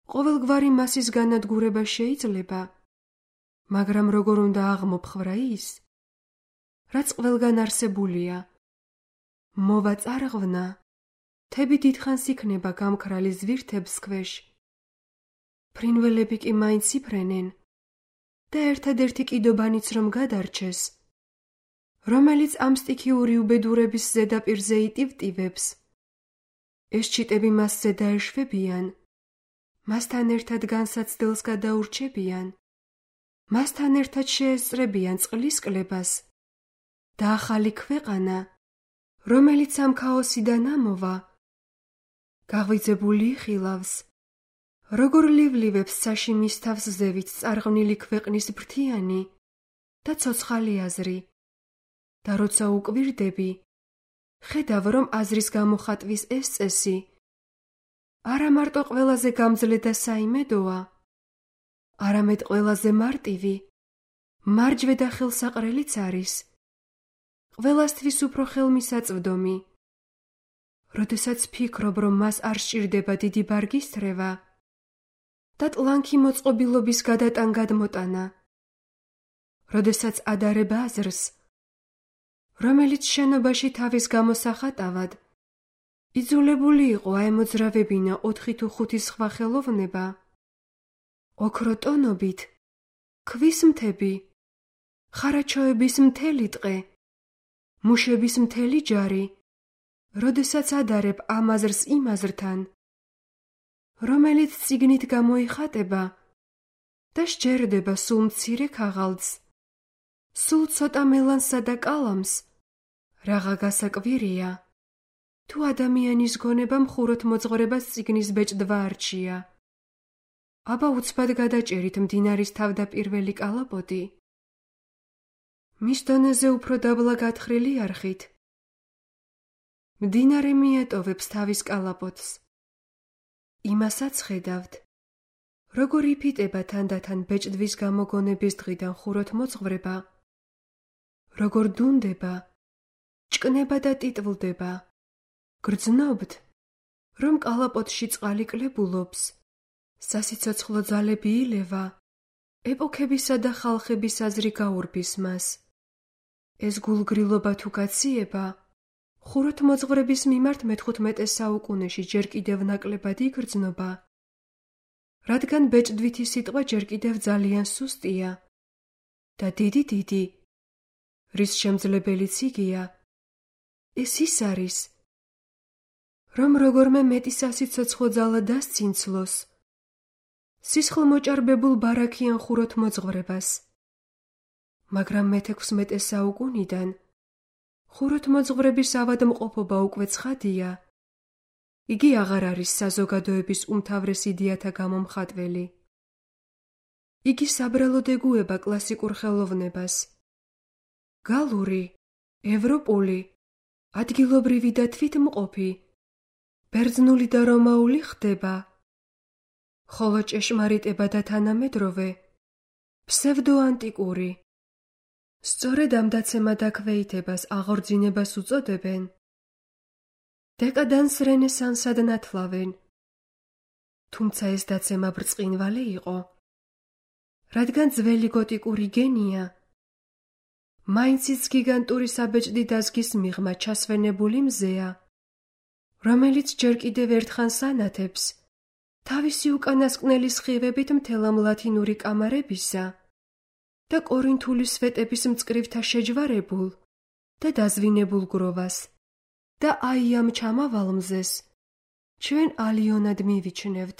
ყოველგვარი მასის განადგურება შეიძლება, მაგრამ როგორ უნდა აღმოფხრა ის, რაც ყველგან არსებულია. მოვა წარღვნა, თები დიდხანს იქნება გამქრალი ზვირთებს ქვეშ. ფრინველები კი მაინც იფრენენ და ერთადერთი კიდობანიც რომ გადარჩეს, რომელიც ამ სტიქიური უბედურების ზედაპირზე იტივტივებს, ეს ჩიტები მასზე დაეშვებიან, მასთან ერთად განსაცდელს გადაურჩებიან, მასთან ერთად შეესწრებიან წყლის კლებას და ახალი ქვეყანა, რომელიც ამ ქაოსიდან ამოვა, გაღვიძებული იხილავს, როგორ ლივლივებს ცაში მის თავს ზევით წარღვნილი ქვეყნის ფრთიანი და ცოცხალი აზრი. და როცა უკვირდები, ხედავ, რომ აზრის გამოხატვის ეს წესი არა მარტო ყველაზე გამძლე და საიმედოა, არამედ ყველაზე მარტივი, მარჯვე და ხელსაყრელიც არის, ყველასთვის უფრო ხელმისაწვდომი. როდესაც ფიქრობ, რომ მას არ სჭირდება დიდი ბარგის თრევა და ტლანქი მოწყობილობის გადატან გადმოტანა, როდესაც ადარებ აზრს, რომელიც შენობაში თავის გამოსახატავად იძულებული იყო აემოძრავებინა ოთხი თუ ხუთი სხვა ხელოვნება, ოქროტონობით, ქვის მთები, ხარაჩოების მთელი ტყე, მუშების მთელი ჯარი, როდესაც ადარებ ამ აზრს იმ აზრთან, რომელიც წიგნით გამოიხატება და სჯერდება სულ მცირე ქაღალდს, სულ ცოტა მელანსა და კალამს, რაღა გასაკვირია, თუ ადამიანის გონებამ ხუროთმოძღვრებას წიგნის ბეჭდვა არჩია. აბა უცბად გადაჭერით მდინარის თავდაპირველი კალაპოტი. მის დონეზე უფრო დაბლა გათხრილი არხით. მდინარე მიეტოვებს თავის კალაპოტს. იმასაც ხედავთ, როგორ იფიტება თანდათან ბეჭდვის გამოგონების დღიდან ხუროთმოძღვრება, როგორ დუნდება, ჭკნება და ტიტვლდება. გრძნობთ, რომ კალაპოტში წყალი კლებულობს, სასიცოცხლო ძალები ილევა, ეპოქებისა და ხალხების აზრი გაურბის მას. ეს გულგრილობა თუ გაციება, ხუროთმოძღვრების მიმართ მეთხუთმეტე საუკუნეში ჯერ კიდევ ნაკლებად იგრძნობა, რადგან ბეჭდვითი სიტყვა ჯერ კიდევ ძალიან სუსტია და დიდი დიდი, რის შემძლებელიც იგია, ეს ის არის, რომ როგორმე მეტი სასიცოცხლო ძალა დასცინცლოს, სისხლმოჭარბებულ ბარაქიან ხუროთ მოძღვრებას. მაგრამ მეთექვსმეტე საუკუნიდან ხუროთ მოძღვრების ავადმყოფობა უკვე ცხადია. იგი აღარ არის საზოგადოების უმთავრეს იდეათა გამომხატველი. იგი საბრალოდ ეგუება კლასიკურ ხელოვნებას. გალური, ევროპული, ადგილობრივი და თვითმყოფი, ბერძნული და რომაული ხდება, ხოლო ჭეშმარიტება და თანამედროვე, ფსევდოანტიკური. სწორედ ამ დაცემა-დაქვეითებას აღორძინებას უწოდებენ. დეკადანს რენესანსად ნათლავენ. თუმცა ეს დაცემა ბრწყინვალე იყო, რადგან ძველი გოტიკური გენია მაინციც გიგანტური საბეჭდი დაზგის მიღმა ჩასვენებული მზეა, რომელიც ჯერ კიდევ ერთხანს ანათებს თავისი უკანასკნელი სხივებით მთელ ამ ლათინური კამარებისა და კორინთული სვეტების მწკრივთა შეჯვარებულ და დაზვინებულ გროვას და აი ამ ჩამავალ მზეს ჩვენ ალიონად მივიჩნევთ.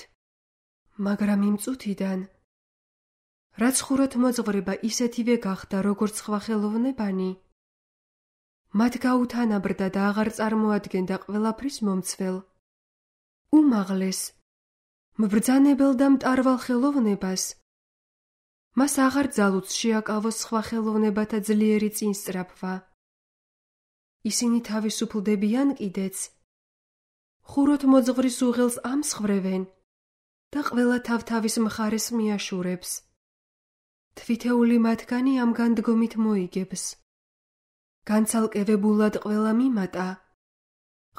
მაგრამ იმ წუთიდან, რაც ხუროთ მოძღვრება ისეთივე გახდა, როგორც სხვა ხელოვნებანი, მათ გაუთანაბრდა და აღარ წარმოადგენდა ყველაფრის მომცველ, უმაღლეს, მბრძანებელ და მტარვალ ხელოვნებას, მას აღარ ძალუც შეაკავოს სხვა ხელოვნებათა ძლიერი წინსწრაფვა. ისინი თავისუფლდებიან კიდეც, ხუროთ მოძღვრის უღელს ამსხვრევენ და ყველა თავ-თავის მხარეს მიაშურებს. თვითეული მათგანი ამ განდგომით მოიგებს. განცალკევებულად ყველა მიმატა,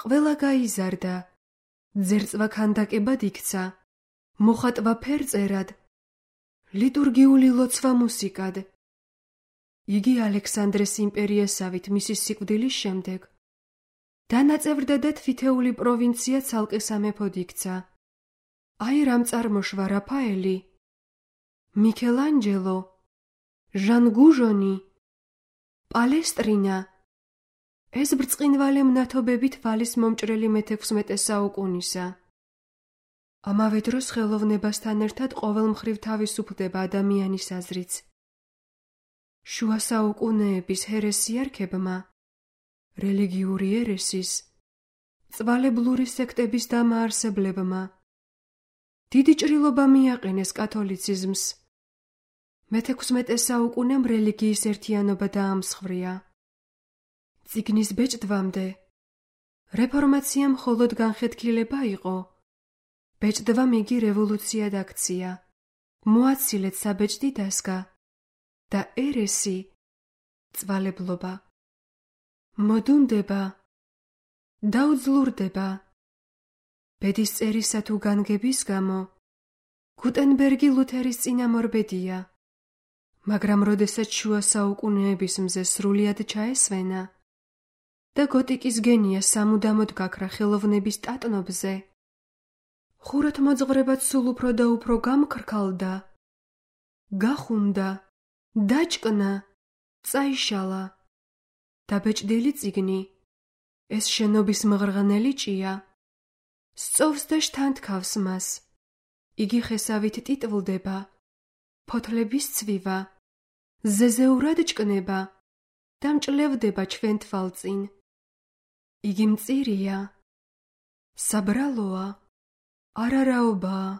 ყველა გაიზარდა, ძერწვა ქანდაკებად იქცა, მოხატვა ფერწერად, ლიტურგიული ლოცვა მუსიკად. იგი ალექსანდრეს იმპერიასავით მისი სიკვდილის შემდეგ დანაწევრდა და თვითეული პროვინცია ცალკე სამეფოდ იქცა. აი რამ წარმოშვა რაფაელი, მიქელანჯელო, ჟან გუჟონი, პალესტრინა. ეს ბრწყინვალე მნათობებით ვალის მომჭრელი მეთექვსმეტე საუკუნისა. ამავე დროს ხელოვნებასთან ერთად ყოველმხრივ თავისუფლდება ადამიანის აზრიც. შუა საუკუნეების ჰერესიარქებმა, რელიგიური ერესის, წვალებლური სექტების დამაარსებლებმა დიდი ჭრილობა მიაყენეს კათოლიციზმს. მეთექვსმეტე საუკუნემ რელიგიის ერთიანობა დაამსხვრია. წიგნის ბეჭდვამდე რეფორმაცია მხოლოდ განხეთქილება იყო. ბეჭდვამ იგი რევოლუციად აქცია, მოაცილეთ საბეჭდი დასგა და ერესი, წვალებლობა, მოდუნდება, დაუძლურდება. ბედის წერისა თუ განგების გამო გუტენბერგი ლუთერის წინამორბედია, მაგრამ როდესაც შუა საუკუნეების მზე სრულიად ჩაესვენა და გოტიკის გენია სამუდამოდ გაქრა ხელოვნების ტატნობზე, ხუროთ მოძღვრებაც სულ უფრო და უფრო გამქრქალდა, გახუნდა, დაჭკნა, წაიშალა. დაბეჭდილი წიგნი, ეს შენობის მღრღნელი ჭია, სწოვს და შთანთქავს მას. იგი ხესავით ტიტვლდება, ფოთლების ცვივა, ზეზეურად ჭკნება და მჭლევდება ჩვენ თვალწინ. იგი მწირია, საბრალოა, არარაობაა.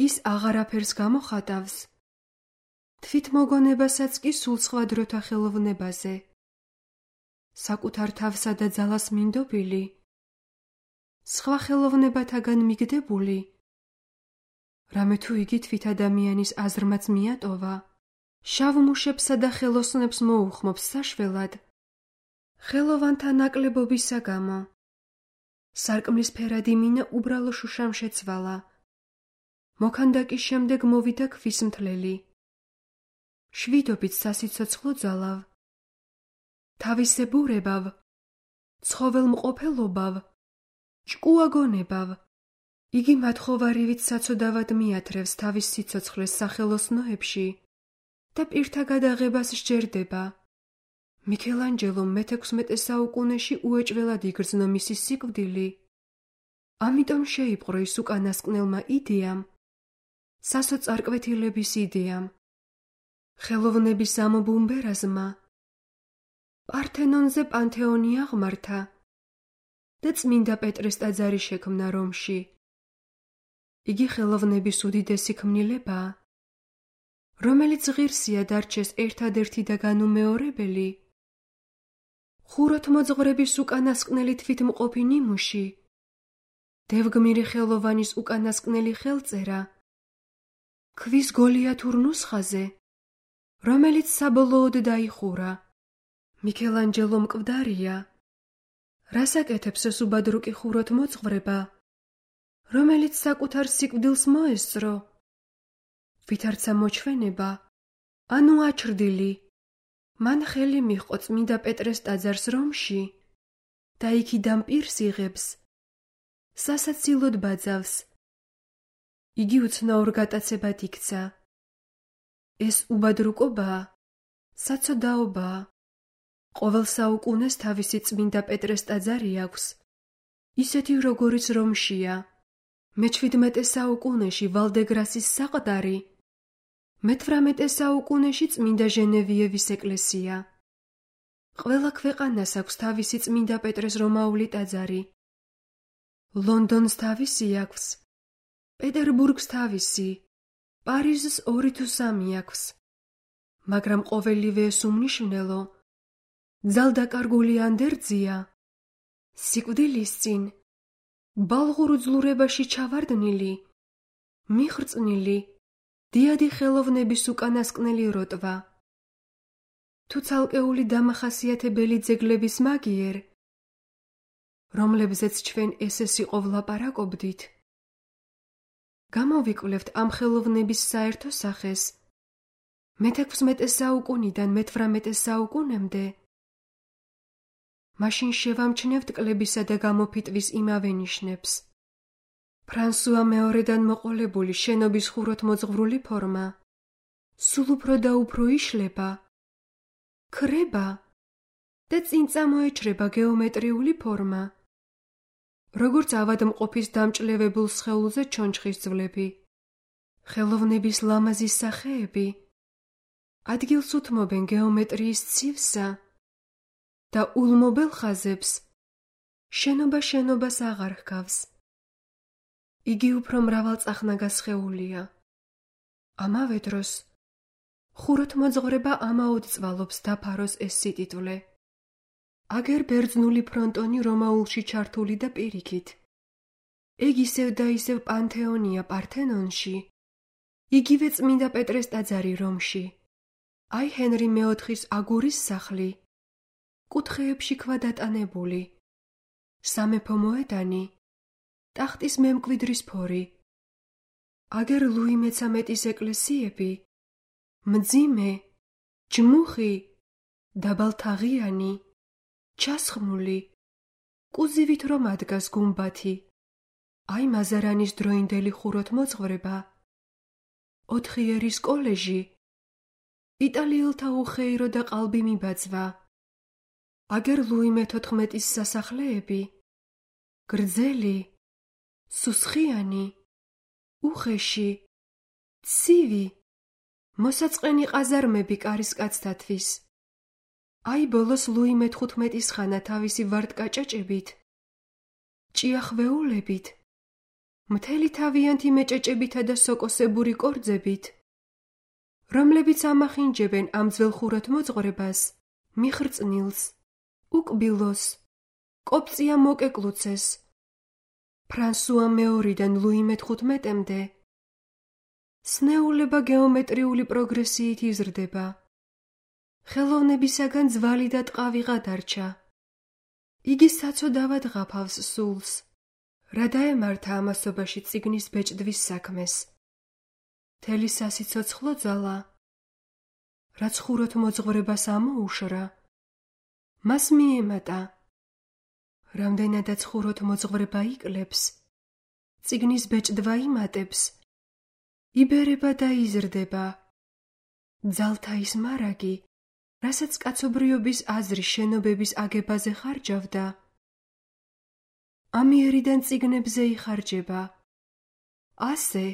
ის აღარაფერს გამოხატავს, თვითმოგონებასაც კი სულ სხვა დროთა ხელოვნებაზე. საკუთარ თავსა და ძალას მინდობილი, სხვა ხელოვნებათაგან მიგდებული, რამე თუ იგი თვით ადამიანის აზრმაც მიატოვა, შავ მუშებსა და ხელოსნებს მოუხმობს საშველად, ხელოვანთა ნაკლებობისა გამო. სარკმლის ფერადი მინა უბრალო შუშამ შეცვალა. მოქანდაკის შემდეგ მოვიდა ქვის მთლელი. შვიდობით სასიცოცხლო ძალავ, თავისებურებავ, ცხოველმყოფელობავ, ჭკუაგონებავ. იგი მათხოვარივით საცოდავად მიათრევს თავის სიცოცხლეს სახელოსნოებში და პირთა გადაღებას სჯერდება. მიქელანჯელომ მეთექვსმეტე საუკუნეში უეჭველად იგრძნო მისი სიკვდილი ამიტომ შეიპყრო ის უკანასკნელმა იდეამ, სასოწარკვეთილების იდეამ, ხელოვნების ამობუმბერაზმა, პართენონზე პანთეონი აღმართა და წმინდა პეტრეს ტაძარი შექმნა რომში. იგი ხელოვნების უდიდესი ქმნილებაა, რომელიც ღირსია დარჩეს ერთადერთი და განუმეორებელი, ხუროთმოძღვრების უკანასკნელი თვითმყოფი ნიმუში, დევგმირი ხელოვანის უკანასკნელი ხელწერა, ქვის გოლიათურ ნუსხაზე, რომელიც საბოლოოდ დაიხურა. მიქელანჯელო მკვდარია, რას აკეთებს ეს უბადრუკი ხუროთმოძღვრება, რომელიც საკუთარ სიკვდილს მოესწრო, ვითარცა მოჩვენება, ანუ აჩრდილი, მან ხელი მიჰყო წმინდა პეტრეს ტაძარს რომში და იქიდან პირს იღებს, სასაცილოდ ბაძავს. იგი უცნაურ გატაცებად იქცა. ეს უბადრუკობაა, საცოდაობაა. ყოველ საუკუნეს თავისი წმინდა პეტრეს ტაძარი აქვს, ისეთი როგორიც რომშია. მეჩვიდმეტე საუკუნეში ვალდეგრასის საყდარი, მეთვრამეტე საუკუნეში წმინდა ჟენევიევის ეკლესია. ყველა ქვეყანას აქვს თავისი წმინდა პეტრეს რომაული ტაძარი. ლონდონს თავისი აქვს, პეტერბურგს თავისი, პარიზს ორი თუ სამი აქვს. მაგრამ ყოველივე ეს უმნიშვნელო, ძალდაკარგული ანდერძია, სიკვდილის წინ, ბალღურ უძლურებაში ჩავარდნილი, მიხრწნილი, დიადი ხელოვნების უკანასკნელი როტვა. თუ ცალკეული დამახასიათებელი ძეგლების მაგიერ, რომლებზეც ჩვენ ეს-ეს იყო ვლაპარაკობდით, გამოვიკვლევთ ამ ხელოვნების საერთო სახეს მეთექვსმეტე საუკუნიდან მეთვრამეტე საუკუნემდე, მაშინ შევამჩნევთ კლებისა და გამოფიტვის იმავე ნიშნებს. ფრანსუა მეორედან მოყოლებული შენობის ხუროთმოძღვრული ფორმა სულ უფრო და უფრო იშლება, ქრება და წინ წამოეჩრება გეომეტრიული ფორმა, როგორც ავადმყოფის დამჭლევებულ სხეულზე ჩონჩხის ძვლები. ხელოვნების ლამაზი სახეები ადგილს უთმობენ გეომეტრიის ცივსა და ულმობელ ხაზებს შენობა შენობას აღარ ჰგავს. იგი უფრო მრავალწახნაგა სხეულია. ამავე დროს ხუროთმოძღვრება ამაოდ წვალობს დაფაროს ეს სიტიტვლე. აგერ ბერძნული ფრონტონი რომაულში ჩართული და პირიქით. ეგ ისევ და ისევ პანთეონია პართენონში, იგივე წმინდა პეტრეს ტაძარი რომში, აი ჰენრი მეოთხის აგურის სახლი, კუთხეებში ქვა დატანებული, სამეფო მოედანი, ტახტის მემკვიდრის ფორი, აგერ ლუი მეცამეტის ეკლესიები, მძიმე, ჯმუხი, დაბალთაღიანი, ჩასხმული, კუზივით რომ ადგას გუმბათი, აი მაზარანის დროინდელი ხუროთმოძღვრება, ოთხიერის კოლეჟი, იტალიელთა უხეირო და ყალბი მიბაძვა, აგერ ლუი მეთოთხმეტის სასახლეები, გრძელი, სუსხიანი, უხეში, ცივი, მოსაწყენი ყაზარმები კარისკაცთათვის. აი ბოლოს ლუი მეთხუთმეტის ხანა თავისი ვარდკაჭაჭებით, ჭიახვეულებით, მთელი თავიანთი მეჭეჭებითა და სოკოსებური კორძებით, რომლებიც ამახინჯებენ ამ ძველ ხუროთმოძღვრებას, მიხრწნილს, უკბილოს, კოპწია მოკეკლუცეს, ფრანსუა მეორიდან ლუი მეთხუთმეტემდე. სნეულება გეომეტრიული პროგრესიით იზრდება. ხელოვნებისაგან ძვალი და ტყავიღა დარჩა. იგი საცოდავად ღაფავს სულს, რა დაემართა ამასობაში წიგნის ბეჭდვის საქმეს. მთელი სასიცოცხლო ძალა, რაც ხუროთმოძღვრებას ამოუშრა, მას მიემატა. რამდენადაც ხუროთმოძღვრება იკლებს, წიგნის ბეჭდვა იმატებს, იბერება და იზრდება. ძალთა ის მარაგი, რასაც კაცობრიობის აზრი შენობების აგებაზე ხარჯავდა, ამიერიდან წიგნებზე იხარჯება. ასე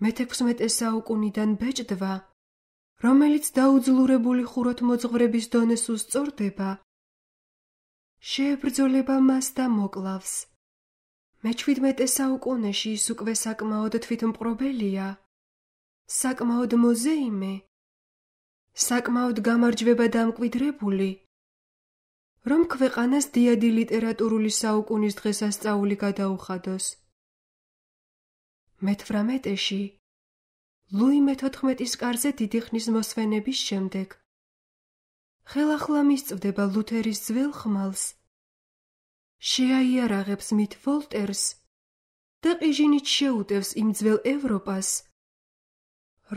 მეთექვსმეტე საუკუნიდან ბეჭდვა, რომელიც დაუძლურებული ხუროთმოძღვრების დონეს უსწორდება, შეებრძოლება მას და მოკლავს. მეჩვიდმეტე საუკუნეში ის უკვე საკმაოდ თვითმპყრობელია, საკმაოდ მოზეიმე, საკმაოდ გამარჯვება დამკვიდრებული, რომ ქვეყანას დიადი ლიტერატურული საუკუნის დღესასწაული გადაუხადოს. მეთვრამეტეში ლუი მეთოთხმეტის კარზე დიდი ხნის მოსვენების შემდეგ ხელახლა მისწვდება ლუთერის ძველ ხმალს, შეაიარაღებს მით ვოლტერს და ყიჟინით შეუტევს იმ ძველ ევროპას,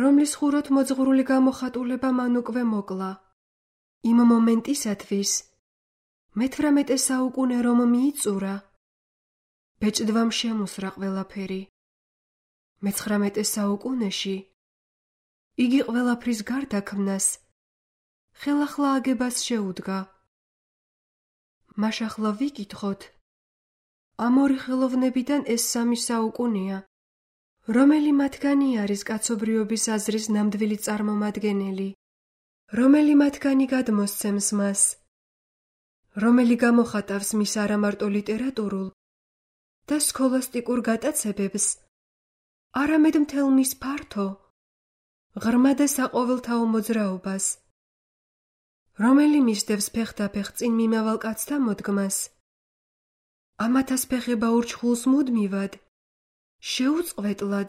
რომლის ხუროთმოძღვრული გამოხატულება მან უკვე მოკლა. იმ მომენტისათვის მეთვრამეტე საუკუნე რომ მიიწურა, ბეჭდვამ შემუსრა ყველაფერი. მეცხრამეტე საუკუნეში იგი ყველაფრის გარდაქმნას, ხელახლა აგებას შეუდგა. მაშახლა ვიკითხოთ, ამ ორი ხელოვნებიდან ეს სამი საუკუნეა, რომელი მათგანი არის კაცობრიობის აზრის ნამდვილი წარმომადგენელი, რომელი მათგანი გადმოსცემს მას, რომელი გამოხატავს მის არამარტო ლიტერატურულ და სქოლასტიკურ გატაცებებს, არამედ მთელ მის ფართო, ღრმა და საყოველთაო მოძრაობას, რომელი მისდევს ფეხდაფეხ წინ მიმავალ კაცთა მოდგმას, ამათას ფეხება ურჩხულს მუდმივად, შეუწყვეტლად,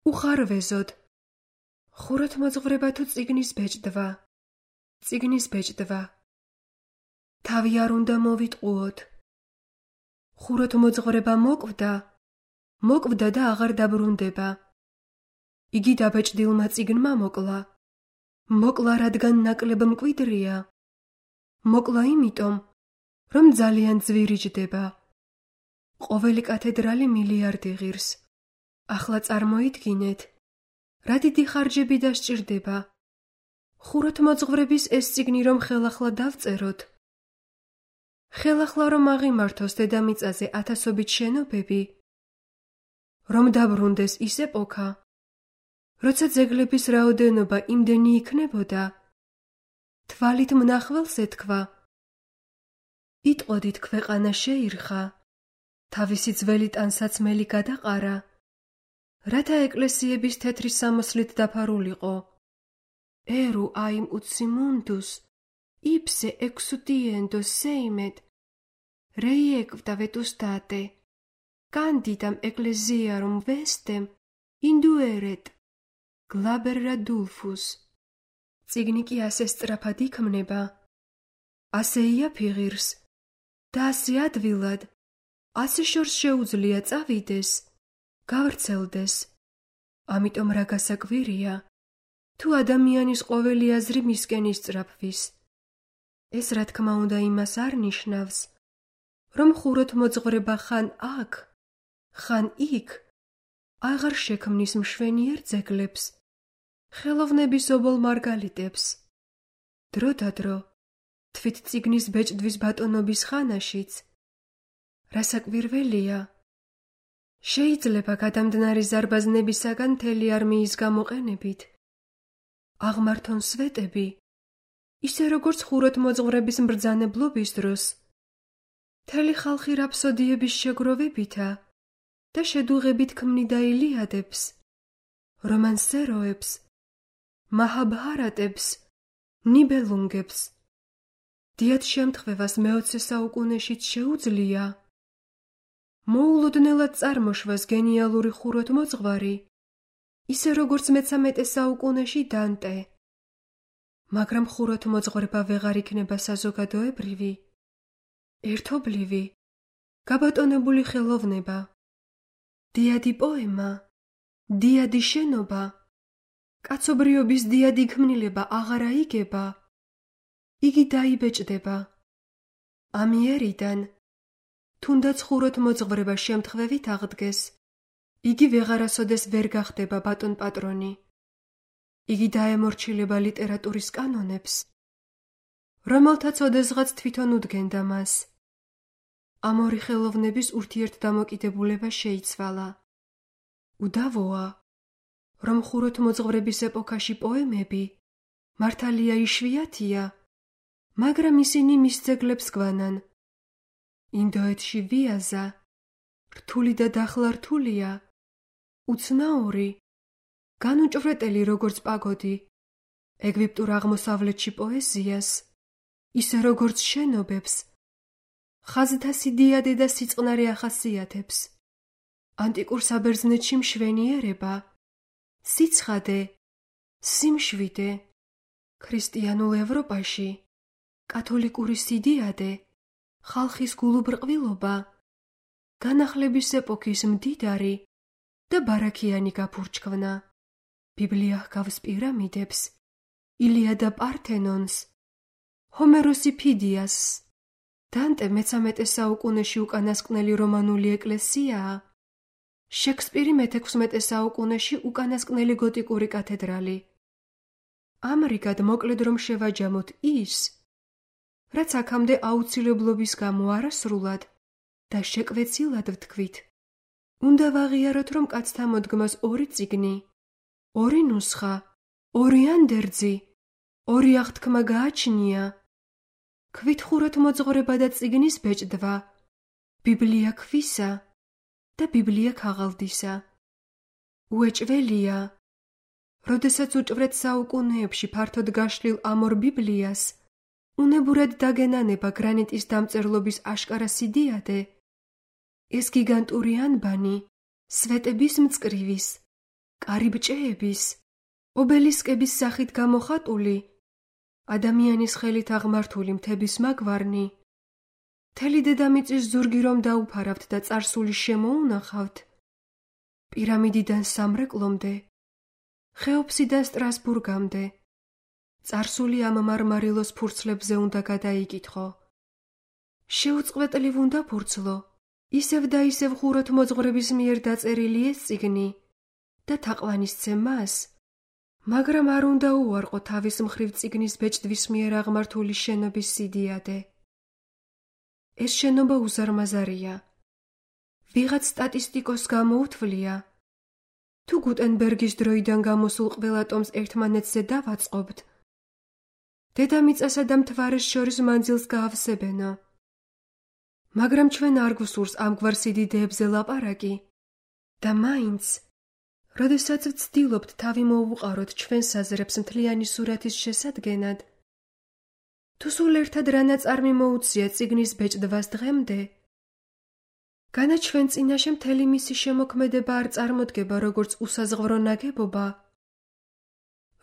უხარვეზოდ, ხუროთმოძღვრება თუ წიგნის ბეჭდვა, წიგნის ბეჭდვა. თავი არ უნდა მოვიტყუოთ. ხუროთმოძღვრება მოკვდა, მოკვდა და აღარ დაბრუნდება. იგი დაბეჭდილმა წიგნმა მოკლა. მოკლა, რადგან ნაკლებ მკვიდრია. მოკლა იმიტომ, რომ ძალიან ძვირიჯდება. ყოველი კათედრალი მილიარდი ღირს. ახლა წარმოიდგინეთ, რა დიდი ხარჯები დასჭირდება. ხუროთმოძღვრების ეს წიგნი რომ ხელახლა დავწეროთ, ხელახლა რომ აღიმართოს დედამიწაზე ათასობით შენობები, რომ დაბრუნდეს ის ეპოქა, როცა ძეგლების რაოდენობა იმდენი იქნებოდა, თვალით მნახველს ეთქვა. იტყოდით, ქვეყანა შეირხა, თავისი ძველი ტანსაცმელი გადაყარა, რათა ეკლესიების თეთრი სამოსლით დაფარულიყო. ერუ აიმ უცი მუნდუს, იფსე ექსუდიენდო სეიმედ, რეიეკვტავეთ უსტატე, კანდიდამ ეკლესიარუმ ვესტემ, ინდუერეთ, გლაბერა დულფუს. წიგნი კი ასე სწრაფად იქმნება, ასე იაფიღირს და ასე ადვილად, ასე შორს შეუძლია წავიდეს, გავრცელდეს. ამიტომ რა გასაკვირია, თუ ადამიანის ყოველი აზრი მისკენ ისწრაფვის. ეს რა თქმა უნდა იმას არ ნიშნავს, რომ ხუროთმოძღვრება ხან აქ, ხან იქ, აღარ შექმნის მშვენიერ ძეგლებს, ხელოვნების ობოლ მარგალიტებს. დრო და დრო, თვით წიგნის ბეჭდვის ბატონობის ხანაშიც, რასაკვირველია, შეიძლება გადამდნარი ზარბაზნებისაგან მთელი არმიის გამოყენებით აღმართონ სვეტები, ისე როგორც ხუროთმოძღვრების მბრძანებლობის დროს, მთელი ხალხი რაფსოდიების შეგროვებითა და შედუღებით ქმნიდა ილიადებს, რომანსეროებს, მაჰაბჰარატებს, ნიბელუნგებს. დიად შემთხვევას მეოცე საუკუნეშიც შეუძლია მოულოდნელად წარმოშვას გენიალური ხუროთმოძღვარი, ისე როგორც მეცამეტე საუკუნეში დანტე. მაგრამ ხუროთმოძღვრება ვეღარ იქნება საზოგადოებრივი, ერთობლივი, გაბატონებული ხელოვნება. დიადი პოემა, დიადი შენობა, კაცობრიობის დიადი ქმნილება აღარ აიგება. იგი დაიბეჭდება. ამიერიდან, თუნდაც ხუროთმოძღვრება შემთხვევით აღდგეს, იგი ვეღარასოდეს ვერ გახდება ბატონ პატრონი. იგი დაემორჩილება ლიტერატურის კანონებს, რომელთაც ოდესღაც თვითონ უდგენდა მას. ამ ორი ხელოვნების ურთიერთდამოკიდებულება შეიცვალა. უდავოა, რომ ხუროთმოძღვრების ეპოქაში პოემები მართალია იშვიათია, მაგრამ ისინი მის ძეგლებს გვანან. ინდოეთში ვიაზა, რთული და დახლა რთულია, უცნაური, განუჭვრეტელი როგორც პაგოდი, ეგვიპტურ აღმოსავლეთში პოეზიას, ისე როგორც შენობებს, ხაზთა სიდიადე და სიწყნარე ახასიათებს, ანტიკურ საბერძნეთში მშვენიერება, სიცხადე, სიმშვიდე, ქრისტიანულ ევროპაში, კათოლიკური სიდიადე, ხალხის გულუბრყვილობა, განახლების ეპოქის მდიდარი და ბარაქიანი გაფურჩქვნა, ბიბლია ჰგავს პირამიდებს, ილია და პართენონს, ჰომეროსი ფიდიასს, დანტე მესამეტე საუკუნეში უკანასკნელი რომანული ეკლესიაა, შექსპირი მეთექვსმეტე საუკუნეში უკანასკნელი გოტიკური კათედრალი. ამრიგად მოკლედ რომ შევაჯამოთ ის, რაც აქამდე აუცილებლობის გამო არასრულად და შეკვეცილად ვთქვით, უნდა ვაღიაროთ, რომ კაცთა მოდგმას ორი წიგნი, ორი ნუსხა, ორი ანდერძი, ორი აღთქმა გააჩნია. ქვით ხუროთმოძღვრება და წიგნის ბეჭდვა, ბიბლია ქვისა და ბიბლია ქაღალდისა. უეჭველია, როდესაც უჭვრეთ საუკუნეებში ფართოდ გაშლილ ამ ორ ბიბლიას, უნებურად დაგენანება გრანიტის დამწერლობის აშკარა სიდიადე, ეს გიგანტური ანბანი, სვეტების მწკრივის, კარიბჭეების, ობელისკების სახით გამოხატული, ადამიანის ხელით აღმართული მთების მაგვარნი, მთელი დედამიწის ზურგი რომ დაუფარავთ და წარსული შემოუნახავთ, პირამიდიდან სამრეკლომდე, ხეოფსიდან სტრასბურგამდე, წარსული ამ მარმარილოს ფურცლებზე უნდა გადაიკითხო. შეუწყვეტლივ უნდა ფურცლო, ისევ და ისევ ხუროთმოძღვრების მიერ დაწერილი ეს წიგნი და თაყვანისცე მას, მაგრამ არ უნდა უარყო თავის მხრივ წიგნის ბეჭდვის მიერ აღმართული შენობის სიდიადე. ეს შენობა უზარმაზარია. ვიღაც სტატისტიკოს გამოუთვლია, თუ გუტენბერგის დროიდან გამოსულ ყველა ტომს ერთმანეთზე დავაწყობთ, დედამიწასა და მთვარეს შორის მანძილს გაავსებენო. მაგრამ ჩვენ არ გვსურს ამგვარ სიდიდეებზე ლაპარაკი და მაინც, როდესაც ვცდილობთ თავი მოვუყაროთ ჩვენ საზრებს მთლიანი სურათის შესადგენად, თუ სულ ერთად რა ნაწარმი მოუწია წიგნის ბეჭდვას დღემდე, განა ჩვენ წინაშე მთელი მისი შემოქმედება არ წარმოდგება როგორც უსაზღვრო ნაგებობა,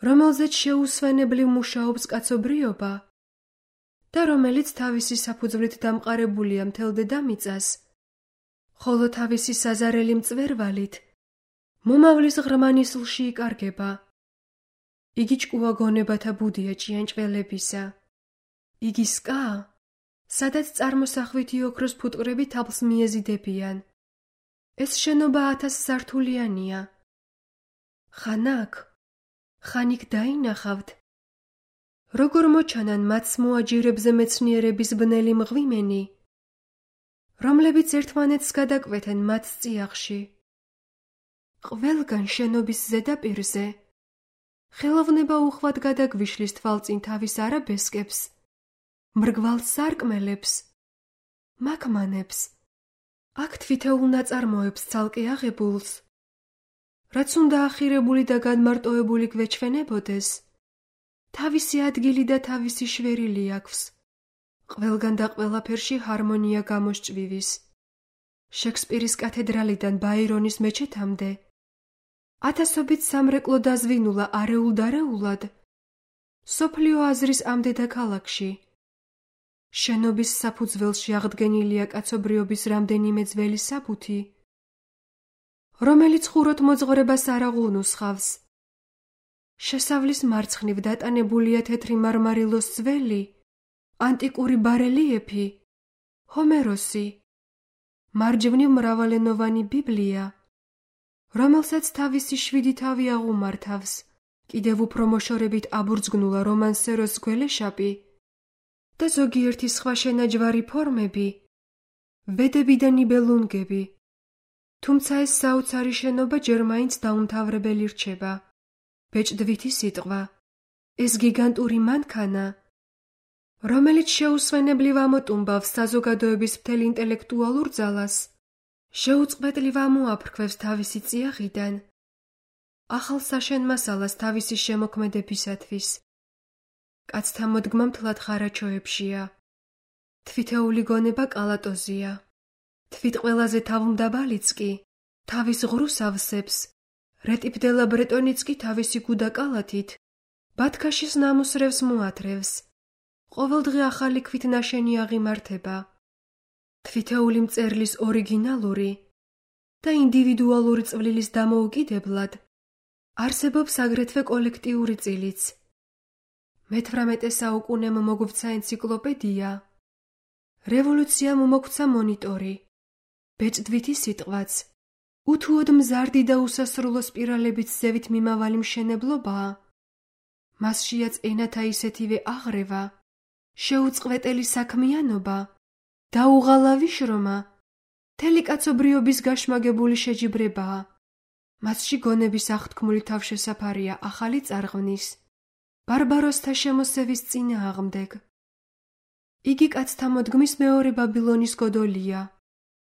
რომელზეც შეუსვენებლივ მუშაობს კაცობრიობა და რომელიც თავისი საფუძვლით დამყარებულია მთელ დედამიწას, ხოლო თავისი საზარელი მწვერვალით მომავლის ღრმა ნისლში იკარგება. იგი ჭკუა გონებათა ბუდია ჭიანჭველებისა. იგი სკა, სადაც წარმოსახვითი ოქროს ფუტკრები თაბლს მიეზიდებიან. ეს შენობა ათას სართულიანია. ხან აქ, ხან იქ დაინახავთ, როგორ მოჩანან მათს მოაჯირებზე მეცნიერების ბნელი მღვიმენი, რომლებიც ერთმანეთს გადაკვეთენ მათ წიაღში. ყველგან შენობის ზედაპირზე ხელოვნება უხვად გადაგვიშლის თვალწინ თავის არაბესკებს, მრგვალ სარკმელებს, მაკმანებს, აქ თვითეულ ნაწარმოებს ცალკე აღებულს, რაც უნდა ახირებული და განმარტოებული გვეჩვენებოდეს, თავისი ადგილი და თავისი შვერილი აქვს, ყველგან და ყველაფერში ჰარმონია გამოსჭვივის. შექსპირის კათედრალიდან ბაირონის მეჩეთამდე, ათასობით სამრეკლო დაზვინულა არეულ-დარეულად, სოფლიო აზრის ამ დედაქალაქში. შენობის საფუძველში აღდგენილია კაცობრიობის რამდენიმე ძველი საბუთი, რომელიც ხუროთმოძღვრებას არ აღუნუსხავს. შესავლის მარცხნივ დატანებულია თეთრი მარმარილოს ძველი, ანტიკური ბარელიეფი, ჰომეროსი, მარჯვნივ მრავალენოვანი ბიბლია, რომელსაც თავისი შვიდი თავი აღუმართავს, კიდევ უფრო მოშორებით აბურძგნულა რომანსეროს გველეშაპი და ზოგიერთი სხვა შენაჯვარი ფორმები, ვედები და ნიბელუნგები. თუმცა ეს საოცარი შენობა ჯერ მაინც დაუმთავრებელი რჩება. ბეჭდვითი სიტყვა. ეს გიგანტური მანქანა, რომელიც შეუსვენებლივ ამოტუმბავს საზოგადოების მთელ ინტელექტუალურ ძალას, შეუწყბედლივ ამოაფრქვევს თავისი წიაღიდან, ახალ საშენ-მასალას თავისი შემოქმედებისათვის. კაცთა მოდგმა მთლად ხარაჩოებშია. თვითეული გონება კალატოზია. თვით ყველაზე თავმდაბალიც კი თავის ღრუს ავსებს, რეტიბდელა ბრეტონიც კი თავისი გუდაკალათით ბათქაშის ნამუსრევს მოათრევს. ყოველდღე ახალი ქვით ნაშენი აღიმართება. თვითეული მწერლის ორიგინალური და ინდივიდუალური წვლილის დამოუკიდებლად არსებობს აგრეთვე კოლექტიური წილიც. მეთვრამეტე საუკუნემ მოგვცა ენციკლოპედია, რევოლუციამ უმოგვცა მონიტორი, ბეჭდვითი სიტყვაც, უთუოდ მზარდი და უსასრულო სპირალებით ზევით მიმავალი მშენებლობაა. მასშიაც ენათა ისეთივე აღრევა, შეუწყვეტელი საქმიანობა, დაუღალავი შრომა, მთელი კაცობრიობის გაშმაგებული შეჯიბრებაა. მასში გონების აღთქმული თავშესაფარია ახალი წარღვნის, ბარბაროსთა შემოსევის წინააღმდეგ. იგი კაცთა მოდგმის მეორე ბაბილონის გოდოლია.